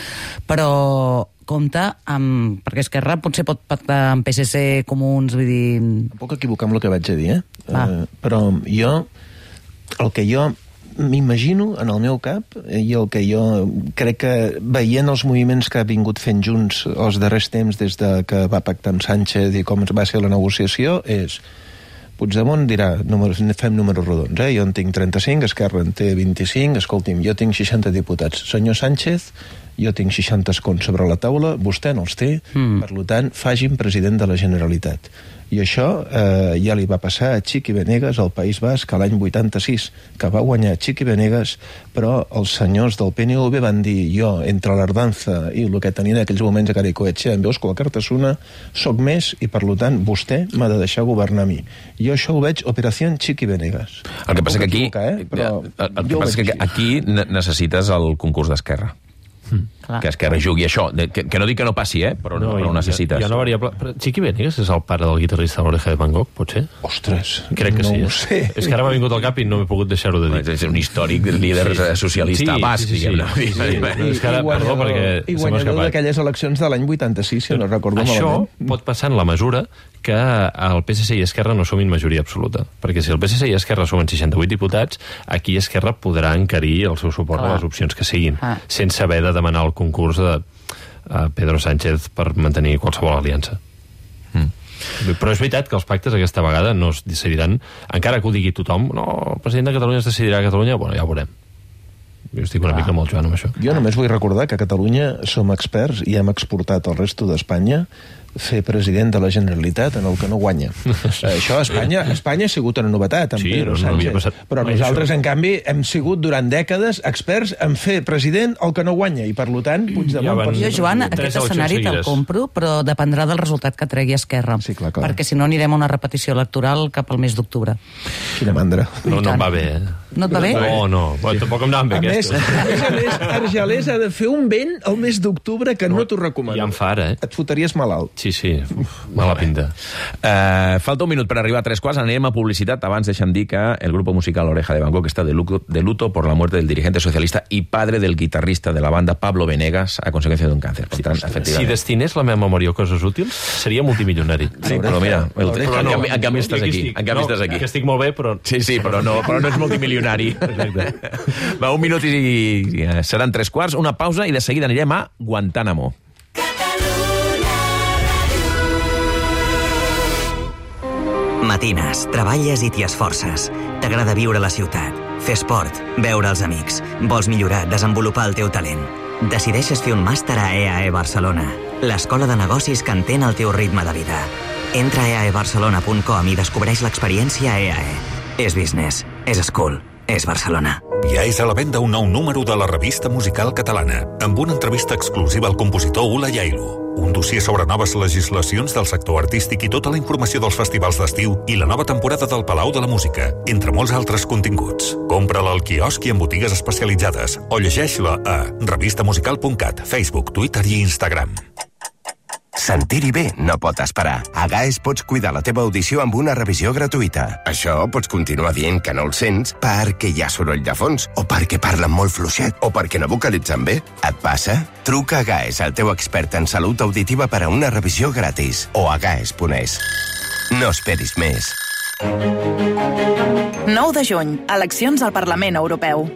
però compte amb... perquè Esquerra potser pot pactar amb PSC, Comuns, vull dir... Em puc equivocar amb el que vaig a dir, però el que jo m'imagino en el meu cap, i el que jo crec que veient els moviments que ha vingut fent Junts els darrers temps des de que va pactar amb Sánchez i com va ser la negociació, és Puigdemont dirà, fem números rodons, jo en tinc 35, Esquerra en té 25, escolti'm, jo tinc 60 diputats. Senyor Sánchez, jo tinc 60 escons sobre la taula, vostè no els té, per tant, faci'm president de la Generalitat. I això ja li va passar a Chiqui Benegas al País Basc l'any 86, que va guanyar Chiqui Benegas, però els senyors del PNV van dir, jo, entre l'Ardanza i el que tenia en aquells moments a Caricoetxea, em veus que la Cartasuna soc més i, per tant, vostè m'ha de deixar governar a mi. Jo això ho veig Operació Chiqui Benegas. El que passa que aquí necessites el concurs d'Esquerra. Que Esquerra jugui això, que no dic que no passi, però ho necessites. Hi ha una variable... Chiqui Benegas és el pare del guitarrista de l'Oreja de Van Gogh, pot ser? Ostres, crec que no sí. Ho sé. És que ara m'ha vingut al cap i no m'he pogut deixar-ho de dir. És un històric líder socialista basc, diguem-ne. I guanyador d'aquelles eleccions de l'any 86, si no recordo malament. Això pot passar en la mesura que el PSC i Esquerra no sumin majoria absoluta. Perquè si el PSC i Esquerra sumen 68 diputats, aquí Esquerra podrà encarir el seu suport a les opcions que siguin, sense haver de demanar el concurs de Pedro Sánchez per mantenir qualsevol aliança. Però és veritat que els pactes aquesta vegada no es decidiran, encara que ho digui tothom, no, el president de Catalunya es decidirà a Catalunya, bueno, ja ho veurem. Jo estic una mica amb el Joan amb això. Jo només vull recordar que a Catalunya som experts i hem exportat al resto d'Espanya fer president de la Generalitat en el que no guanya. Això a Espanya ha sigut una novetat, amb Pedro Sánchez. Però nosaltres, en canvi, hem sigut durant dècades experts en fer president el que no guanya, i per tant, Puigdemont... Jo, Joan, aquest escenari te'l compro, però dependrà del resultat que tregui Esquerra. Sí, clar. Perquè si no anirem a una repetició electoral cap al mes d'octubre. Quina mandra. No em va bé, No et va bé? No. Bueno, tampoc em anaven bé, aquestes. A més, Argelers ha de fer un vent al mes d'octubre que no t'ho recomano. Ja em fa ara, Et fotries malalt. Sí. Mala pinta. Falta un minut per arribar a 3:15. Anem a publicitat. Abans deixa'm dir que el grupo musical Oreja de Van Gogh está de luto por la muerte del dirigente socialista y padre del guitarrista de la banda Pablo Venegas a consecuencia d'un càncer. Per tant, Si destinés la meva memòria a coses útils, seria multimilionari. Sí, però mira, en canvi estàs aquí. Que estic molt bé, però... Sí, però no ets multimilionari. Va, un minut i seran 3:15, una pausa i de seguida anirem a Guantánamo. Matines, treballes i t'hi esforces. T'agrada viure a la ciutat, fer esport, veure els amics. Vols millorar, desenvolupar el teu talent. Decideixes fer un màster a EAE Barcelona, l'escola de negocis que entén el teu ritme de vida. Entra a eaebarcelona.com i descobreix l'experiència EAE. És business, és school, és Barcelona. Ja és a la venda un nou número de la revista musical catalana, amb una entrevista exclusiva al compositor Ula Yailu, un dossier sobre noves legislacions del sector artístic i tota la informació dels festivals d'estiu i la nova temporada del Palau de la Música, entre molts altres continguts. Compra-la al quiosc i en botigues especialitzades o llegeix-la a revistamusical.cat, Facebook, Twitter i Instagram. Sentir-hi bé no pot esperar. A GAES pots cuidar la teva audició amb una revisió gratuïta. Això pots continuar dient que no el sents perquè hi ha soroll de fons, o perquè parlen molt fluixet, o perquè no vocalitzen bé. Et passa? Truca a GAES, el teu expert en salut auditiva, per a una revisió gratis. O a gaes.es. No esperis més. 9 de juny, eleccions al Parlament Europeu.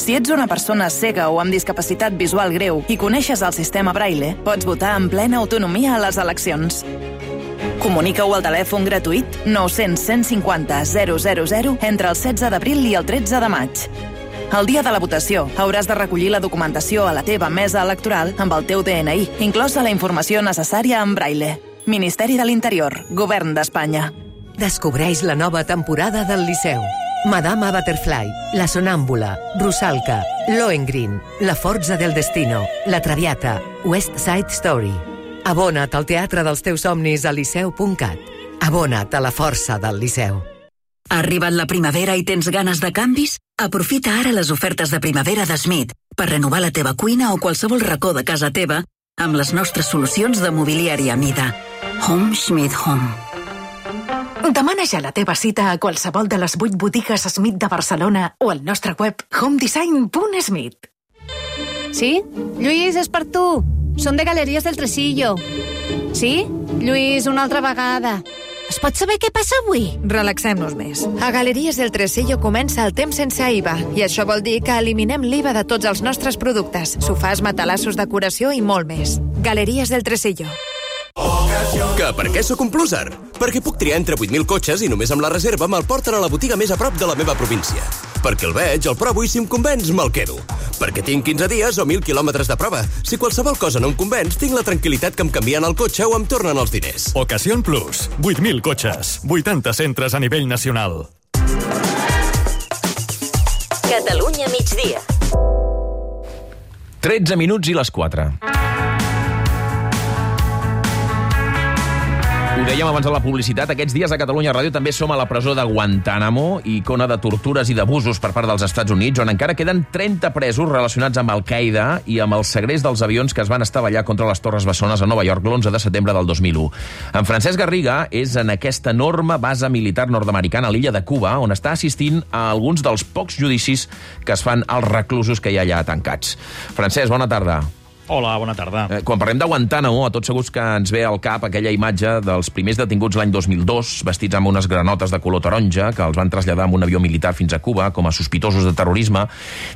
Si ets una persona cega o amb discapacitat visual greu i coneixes el sistema Braille, pots votar en plena autonomia a les eleccions. Comunica-ho al telèfon gratuït 900 150 000 entre el 16 d'abril i el 13 de maig. El dia de la votació hauràs de recollir la documentació a la teva mesa electoral amb el teu DNI, inclosa la informació necessària en Braille. Ministeri de l'Interior, Govern d'Espanya. Descobreix la nova temporada del Liceu. Madama Butterfly, La Sonàmbula, Rusalka, Lohengrin, La Forza del Destino, La Traviata, West Side Story. Abona't al teatre dels teus somnis a liceu.cat. Abona't a la força del Liceu. Ha arribat la primavera i tens ganes de canvis? Aprofita ara les ofertes de primavera de Smith per renovar la teva cuina o qualsevol racó de casa teva amb les nostres solucions de mobiliari a mida. Home Schmidt Home. Demana ja la teva cita a qualsevol de les 8 botigues Smith de Barcelona o al nostre web homedesign.smith. ¿Sí? Lluís, és per tu. Som de Galeries del Tresillo. Sí? Lluís, una altra vegada. Es pot saber què passa avui? Relaxem-nos més. A Galeries del Tresillo comença el temps sense IVA i això vol dir que eliminem l'IVA de tots els nostres productes, sofàs, matalassos, decoració i molt més. Galeries del Tresillo. Que per què sóc un pluser? Perquè puc triar entre 8.000 cotxes i només amb la reserva me'l porten a la botiga més a prop de la meva província. Perquè el veig, el provo i si em convenç, me'l quedo. Perquè tinc 15 dies o 1.000 quilòmetres de prova. Si qualsevol cosa no em convenç, tinc la tranquil·litat que em canvien el cotxe o em tornen els diners. Ocasión Plus. 8.000 cotxes. 80 centres a nivell nacional. Catalunya migdia. 13 minuts i les 4. Ho dèiem abans de la publicitat, aquests dies a Catalunya Ràdio també som a la presó de Guantánamo, icona de tortures i d'abusos per part dels Estats Units, on encara queden 30 presos relacionats amb Al-Qaeda i amb el segrest dels avions que es van estavellar contra les Torres Bessones a Nova York l'11 de setembre del 2001. En Francesc Garriga és en aquesta enorme base militar nord-americana a l'illa de Cuba, on està assistint a alguns dels pocs judicis que es fan als reclusos que hi ha allà tancats. Francesc, bona tarda. Hola, bona tarda. Quan parlem de Guantánamo, a tots segurs que ens ve al cap aquella imatge dels primers detinguts l'any 2002, vestits amb unes granotes de color taronja, que els van traslladar amb un avió militar fins a Cuba com a sospitosos de terrorisme.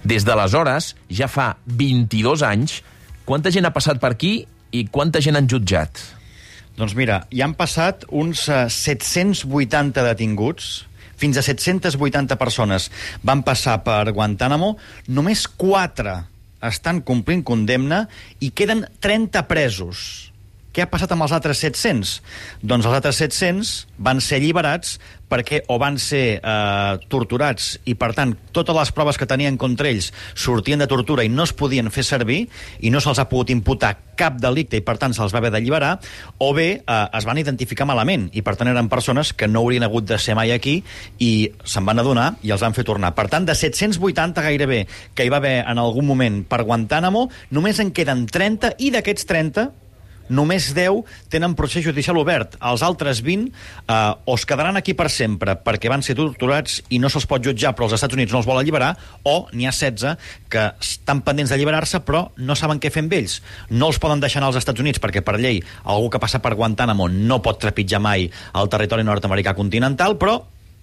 Des d'aleshores, ja fa 22 anys, quanta gent ha passat per aquí i quanta gent han jutjat? Doncs mira, hi han passat uns 780 detinguts, fins a 780 persones van passar per Guantánamo, només 4 estan complint condemna i queden 30 presos. Què ha passat amb els altres 700? Doncs els altres 700 van ser alliberats perquè o van ser torturats i, per tant, totes les proves que tenien contra ells sortien de tortura i no es podien fer servir i no se'ls ha pogut imputar cap delicte i, per tant, se'ls va haver d'alliberar, o bé es van identificar malament i, per tant, eren persones que no haurien hagut de ser mai aquí i se'n van adonar i els van fer tornar. Per tant, de 780 gairebé que hi va haver en algun moment per Guantánamo, només en queden 30 i d'aquests 30 només 10 tenen procés judicial obert. Els altres 20 o es quedaran aquí per sempre perquè van ser torturats i no se'ls pot jutjar però els Estats Units no els vol alliberar, o n'hi ha 16 que estan pendents d'alliberar-se però no saben què fer amb ells. No els poden deixar anar als Estats Units perquè per llei algú que passa per Guantánamo no pot trepitjar mai el territori nord-americà continental, però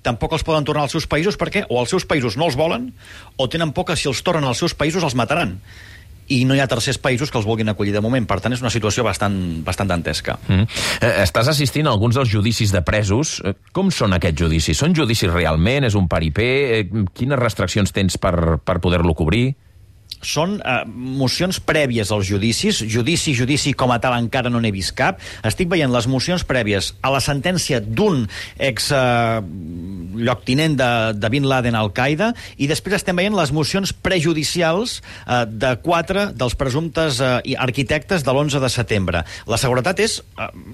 tampoc els poden tornar als seus països perquè o els seus països no els volen o tenen por que si els tornen als seus països els mataran. I no hi ha tercers països que els vulguin acollir de moment. Per tant, és una situació bastant dantesca. Estàs assistint a alguns dels judicis de presos. Com són aquests judicis? Són judicis realment? És un paripé? Quines restriccions tens per poder-lo cobrir? Són mocions prèvies als judicis. Judici com a tal encara no n'he vist cap. Estic veient les mocions prèvies a la sentència d'un lloctinent de Bin Laden al-Qaeda i després estem veient les mocions prejudicials de 4 dels presumptes arquitectes de l'11 de setembre. La seguretat és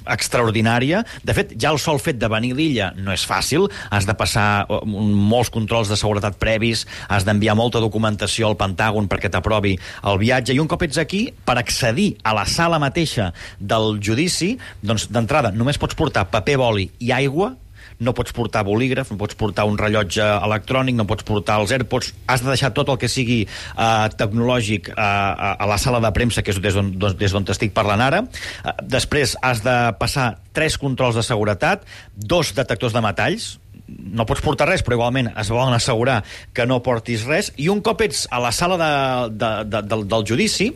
extraordinària. De fet, ja el sol fet de venir a l'illa no és fàcil. Has de passar molts controls de seguretat previs, has d'enviar molta documentació al Pentàgon perquè t'aprovi el viatge, i un cop ets aquí, per accedir a la sala mateixa del judici, doncs d'entrada només pots portar paper, boli i aigua, no pots portar bolígraf, no pots portar un rellotge electrònic, no pots portar els AirPods, has de deixar tot el que sigui tecnològic a la sala de premsa, que és des d'on t'estic parlant ara. Després has de passar 3 controls de seguretat, 2 detectors de metalls, no pots portar res, però igualment es volen assegurar que no portis res, i un cop ets a la sala del judici,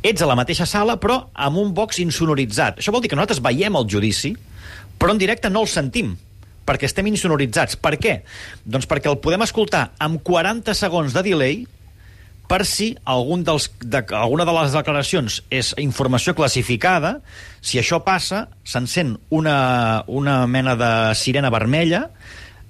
ets a la mateixa sala, però amb un box insonoritzat. Això vol dir que nosaltres veiem el judici, però en directe no el sentim, perquè estem insonoritzats. Per què? Doncs perquè el podem escoltar amb 40 segons de delay, per si alguna de les declaracions és informació classificada. Si això passa, s'encén una mena de sirena vermella,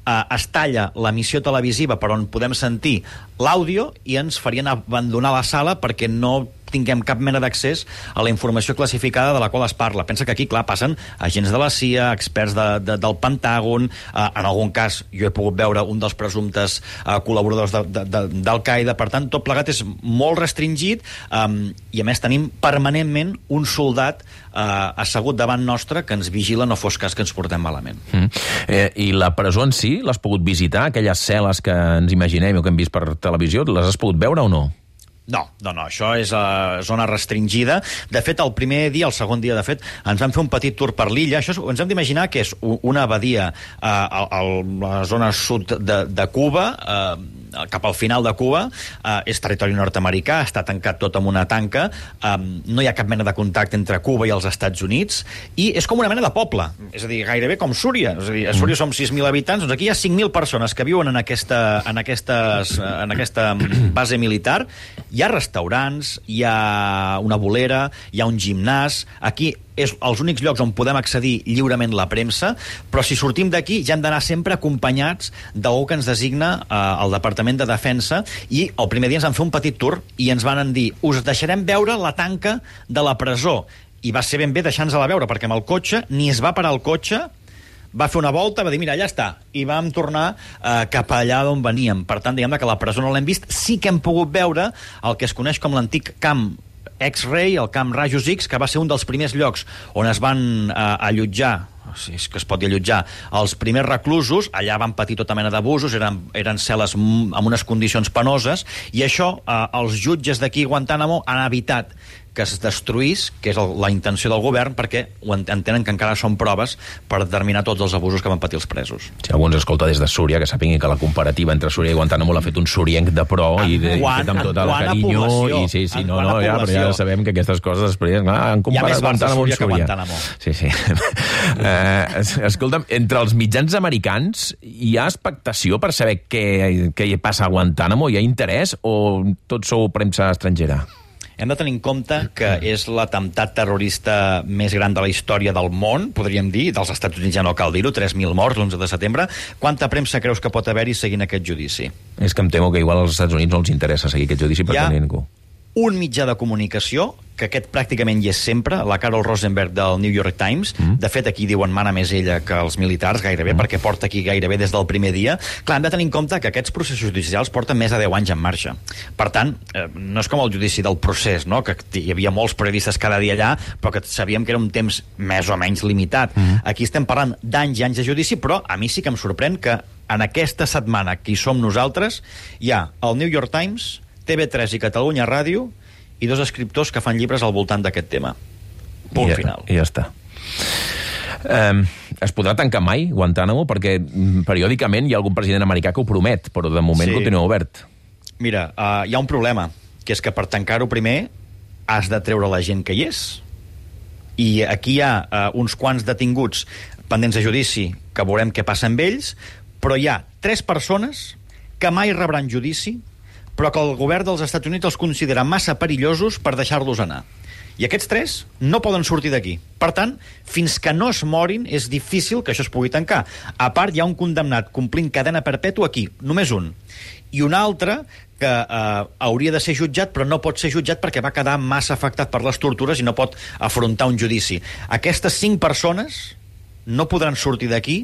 es talla l'emissió televisiva per on podem sentir l'àudio i ens farien abandonar la sala perquè no tinguem cap mena d'accés a la informació classificada de la qual es parla. Pensa que aquí, clar, passen agents de la CIA, experts del Pentàgon, en algun cas jo he pogut veure un dels presumptes col·laboradors d'Al-Qaeda. Per tant, tot plegat és molt restringit i, a més, tenim permanentment un soldat assegut davant nostre que ens vigila, no fos cas que ens portem malament. I la presó en si, l'has pogut visitar? Aquelles cel·les que ens imaginem o que hem vist per televisió, les has pogut veure o no? No, això és zona restringida. De fet, el primer dia, el segon dia, de fet, ens vam fer un petit tour per l'illa. Això ens hem d'imaginar que és una abadia a la zona sud de Cuba, cap al final de Cuba, és territori nord-americà, està tancat tot amb una tanca, no hi ha cap mena de contacte entre Cuba i els Estats Units, i és com una mena de poble, és a dir, gairebé com Súria. És a dir, a Súria som 6.000 habitants, doncs aquí hi ha 5.000 persones que viuen en aquesta base militar. Hi ha restaurants, hi ha una bolera, hi ha un gimnàs. Aquí és els únics llocs on podem accedir lliurement la premsa, però si sortim d'aquí ja hem d'anar sempre acompanyats d'algú que ens designa el Departament de Defensa, i el primer dia ens van fer un petit tour i ens van dir, us deixarem veure la tanca de la presó, i va ser ben bé deixar-nos-la veure, perquè amb el cotxe ni es va parar el cotxe, va fer una volta, va dir, mira, allà està, i vam tornar cap allà d'on veníem. Per tant, diguem que la presó no l'hem vist. Sí que hem pogut veure el que es coneix com l'antic camp X-Ray, el camp Rajos X, que va ser un dels primers llocs on es van allotjar, si és que es pot dir allotjar, els primers reclusos. Allà van patir tota mena d'abusos, eren cel·les amb unes condicions penoses, i això els jutges d'aquí a Guantánamo han evitat que es destruís, que és la intenció del govern, perquè entenen que encara són proves per determinar tots els abusos que van patir els presos. Si algú ens escolta des de Súria, que sàpigui que la comparativa entre Súria i Guantánamo l'ha fet un surienc de pro, i fet amb tot el carinyo, i sí, però ja sabem que aquestes coses després han comparat Guantánamo amb Súria. Sí. Escolta'm, entre els mitjans americans hi ha expectació per saber què hi passa a Guantánamo? Hi ha interès o tot sou premsa estrangera? Hem de tenir en compte que és l'atemptat terrorista més gran de la història del món, podríem dir, dels Estats Units ja no cal dir-ho, 3.000 morts l'11 de setembre. Quanta premsa creus que pot haver-hi seguint aquest judici? És que em temo que igual als Estats Units no els interessa seguir aquest judici perquè no hi ha ningú. Un mitjà de comunicació, que aquest pràcticament hi és sempre, la Carol Rosenberg del New York Times. De fet, aquí diuen mana més ella que els militars, gairebé, perquè porta aquí gairebé des del primer dia. Clar, hem de tenir en compte que aquests processos judicials porten més de 10 anys en marxa. Per tant, no és com el judici del procés, no? Que hi havia molts periodistes cada dia allà, però que sabíem que era un temps més o menys limitat. Aquí estem parlant d'anys i anys de judici, però a mi sí que em sorprèn que en aquesta setmana que hi som nosaltres hi ha el New York Times, TV3 i Catalunya Ràdio i 2 escriptors que fan llibres al voltant d'aquest tema. Punt final. I ja està. Es podrà tancar mai Guantánamo? Perquè periòdicament hi ha algun president americà que ho promet, però de moment continua obert. Mira, hi ha un problema, que és que per tancar-ho primer has de treure la gent que hi és. I aquí hi ha uns quants detinguts pendents de judici que veurem què passa amb ells, però hi ha 3 persones que mai rebran judici, però que el govern dels Estats Units els considera massa perillosos per deixar-los anar. I aquests 3 no poden sortir d'aquí. Per tant, fins que no es morin, és difícil que això es pugui tancar. A part, hi ha un condemnat complint cadena perpètua aquí, només un. I un altre que hauria de ser jutjat, però no pot ser jutjat perquè va quedar massa afectat per les tortures i no pot afrontar un judici. Aquestes 5 persones no podran sortir d'aquí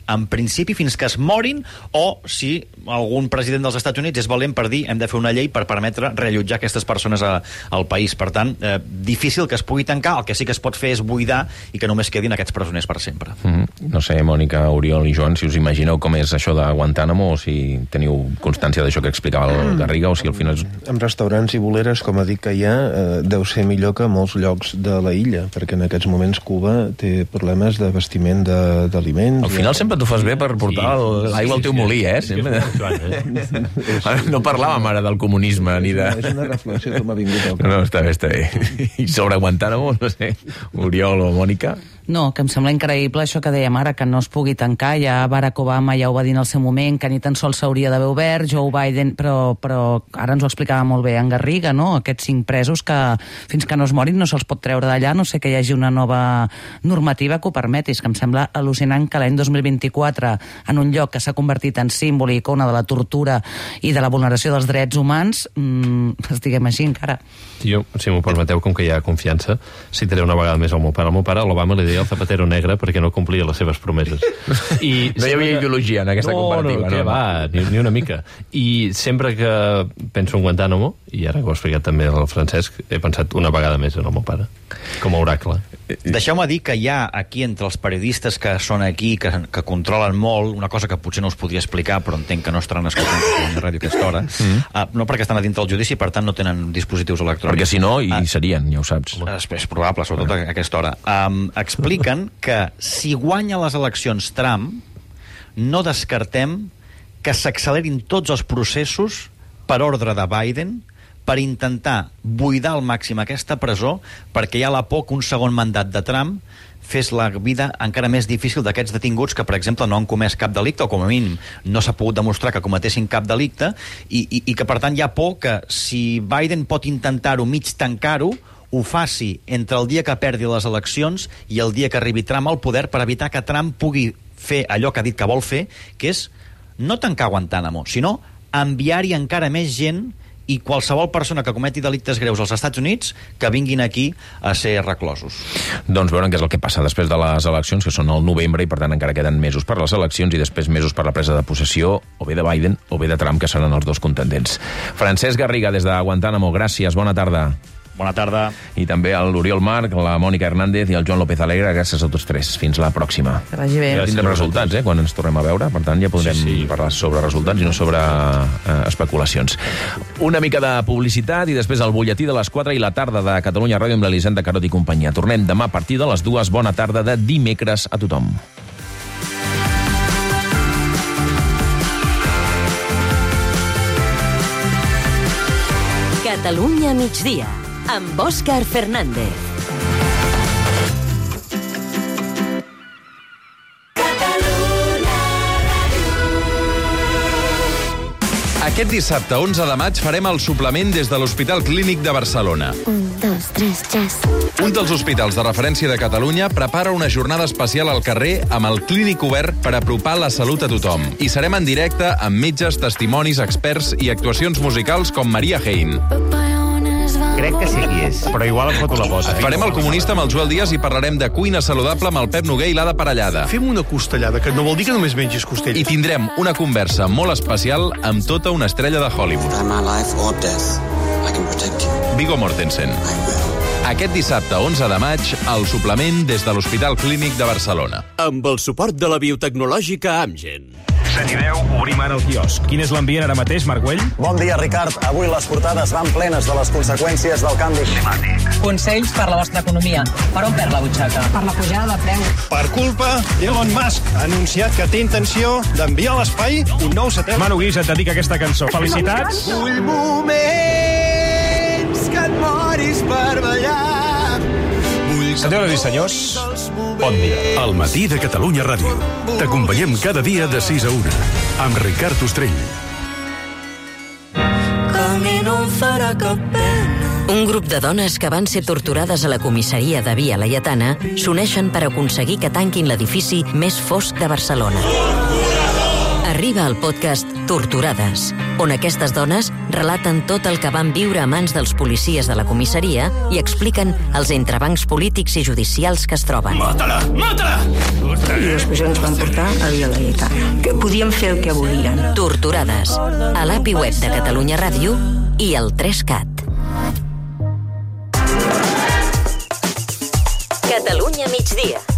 en principi fins que es morin, o si algun president dels Estats Units és valent per dir hem de fer una llei per permetre reallotjar aquestes persones al país. Per tant, difícil que es pugui tancar. El que sí que es pot fer és buidar i que només quedin aquests presoners per sempre. No sé, Mònica, Oriol i Joan, si us imagineu com és això de Guantánamo, o si teniu constància d'això que explicava el Garriga, o si al final... Amb restaurants i boleres, com ha dit que hi ha, deu ser millor que molts llocs de la illa, perquè en aquests moments Cuba té problemes d'abastiment d'aliments. Al final sempre t'ho fas bé per portar l'aigua al teu molí, sempre. No parlàvem ara del comunisme ni de... És una reflexió que m'ha vingut. No, està bé. I sobre Guantánamo, no sé, Oriol o Mònica? No, que em sembla increïble això que dèiem ara, que no es pugui tancar. Ja Barack Obama ja ho va dir en el seu moment, que ni tan sols s'hauria d'haver obert, Joe Biden, però ara ens ho explicava molt bé en Garriga, no? Aquests 5 presos que fins que no es morin no se'ls pot treure d'allà, no sé que hi hagi una nova normativa que ho permeti. És que em sembla al·lucinant que l'any 2024, en un lloc que s'ha convertit en símbol i icona de la tortura i de la vulneració dels drets humans, estiguem així encara. Jo, si m'ho permeteu, com que hi ha confiança, citaré una vegada més el meu pare. El meu pare, l'Obama, li deia el zapatero negre perquè no complia les seves promeses. I no hi havia ideologia en aquesta comparativa. No, va, ni una mica. I sempre que penso en Guantánamo, i ara que ho ha explicat també el Francesc, he pensat una vegada més en el meu pare, com a oracle. Deixeu-me dir que hi ha aquí entre els periodistes que són aquí, que controlen molt, una cosa que potser no us podria explicar, però entenc que no estaran escoltant la ràdio a aquesta hora, no perquè estan a dintre del judici, per tant no tenen dispositius electrònics. Perquè si no, hi serien, ja ho saps. És probable, sobretot a aquesta hora. Expliquen que si guanya les eleccions Trump, no descartem que s'accelerin tots els processos per ordre de Biden per intentar buidar al màxim aquesta presó, perquè hi ha la por que un segon mandat de Trump fes la vida encara més difícil d'aquests detinguts que, per exemple, no han comès cap delicte, o com a mínim no s'ha pogut demostrar que cometessin cap delicte, i que, per tant, hi ha por que si Biden pot intentar-ho mig tancar-ho, ho faci entre el dia que perdi les eleccions i el dia que arribi Trump al poder, per evitar que Trump pugui fer allò que ha dit que vol fer, que és no tancar Guantánamo, sinó enviar-hi encara més gent i qualsevol persona que cometi delictes greus als Estats Units que vinguin aquí a ser reclosos. Doncs veurem què és el que passa després de les eleccions, que són al novembre, i per tant encara queden mesos per les eleccions i després mesos per la presa de possessió, o bé de Biden o bé de Trump, que seran els dos contendents. Francesc Garriga, des de Guantánamo, gràcies, bona tarda. Bona tarda. I també a l'Oriol Marc, la Mònica Hernández i el Joan López Alegre, gràcies a tots 3. Fins la pròxima. Que vagi bé. Tindrem resultats, quan ens tornem a veure, per tant ja podrem parlar sobre resultats i no sobre especulacions. Una mica de publicitat i després el butlletí de les 4 i la tarda de Catalunya Ràdio amb l'Elisenda Carot i companyia. Tornem demà a partir de les 2. Bona tarda de dimecres a tothom. Catalunya migdia, amb Òscar Fernández. Aquest dissabte, 11 de maig, farem el suplement des de l'Hospital Clínic de Barcelona. 1, 2, 3, jazz. Un dels hospitals de referència de Catalunya prepara una jornada especial al carrer amb el clínic obert per apropar la salut a tothom. I serem en directe amb metges, testimonis, experts i actuacions musicals com Maria Hein. Crec que sí qui és, però igual em foto la pota. Farem el comunista amb el Joel Díaz i parlarem de cuina saludable amb el Pep Noguer i l'Ada Parellada. Fem una costellada, que no vol dir que només mengis costell. I tindrem una conversa molt especial amb tota una estrella de Hollywood. Viggo Mortensen. Aquest dissabte, 11 de maig, el suplement des de l'Hospital Clínic de Barcelona. Amb el suport de la biotecnològica Amgen. 7 i 10, obrim ara el quiosc. Quin és l'ambient ara mateix, Marc Güell? Bon dia, Ricard. Avui les portades van plenes de les conseqüències del canvi climàtic. Consells per la vostra economia. Per on perd la butxaca? Per la pujada de preu. Per culpa d'Elon Musk, ha anunciat que té intenció d'enviar a l'espai un nou satèl·lit. Manu Guix et dedica aquesta cançó. Felicitats. Vull moments que et moris per ballar. Senyores i senyors, bon dia. El matí de Catalunya Ràdio. T'acompanyem cada dia de 6 a 1. Amb Ricard Ostrell. Que mi no em farà cap pena. Un grup de dones que van ser torturades a la comissaria de Via Laietana s'uneixen per aconseguir que tanquin l'edifici més fosc de Barcelona. Arriba el podcast Torturades, on aquestes dones relaten tot el que van viure a mans dels policies de la comissaria i expliquen els entrebancs polítics i judicials que es troben. Mata-la! Mata-la! I després ens van portar a Via Laietana, que podien fer el que volien. Torturades, a l'API web de Catalunya Ràdio i el 3CAT. Catalunya migdia.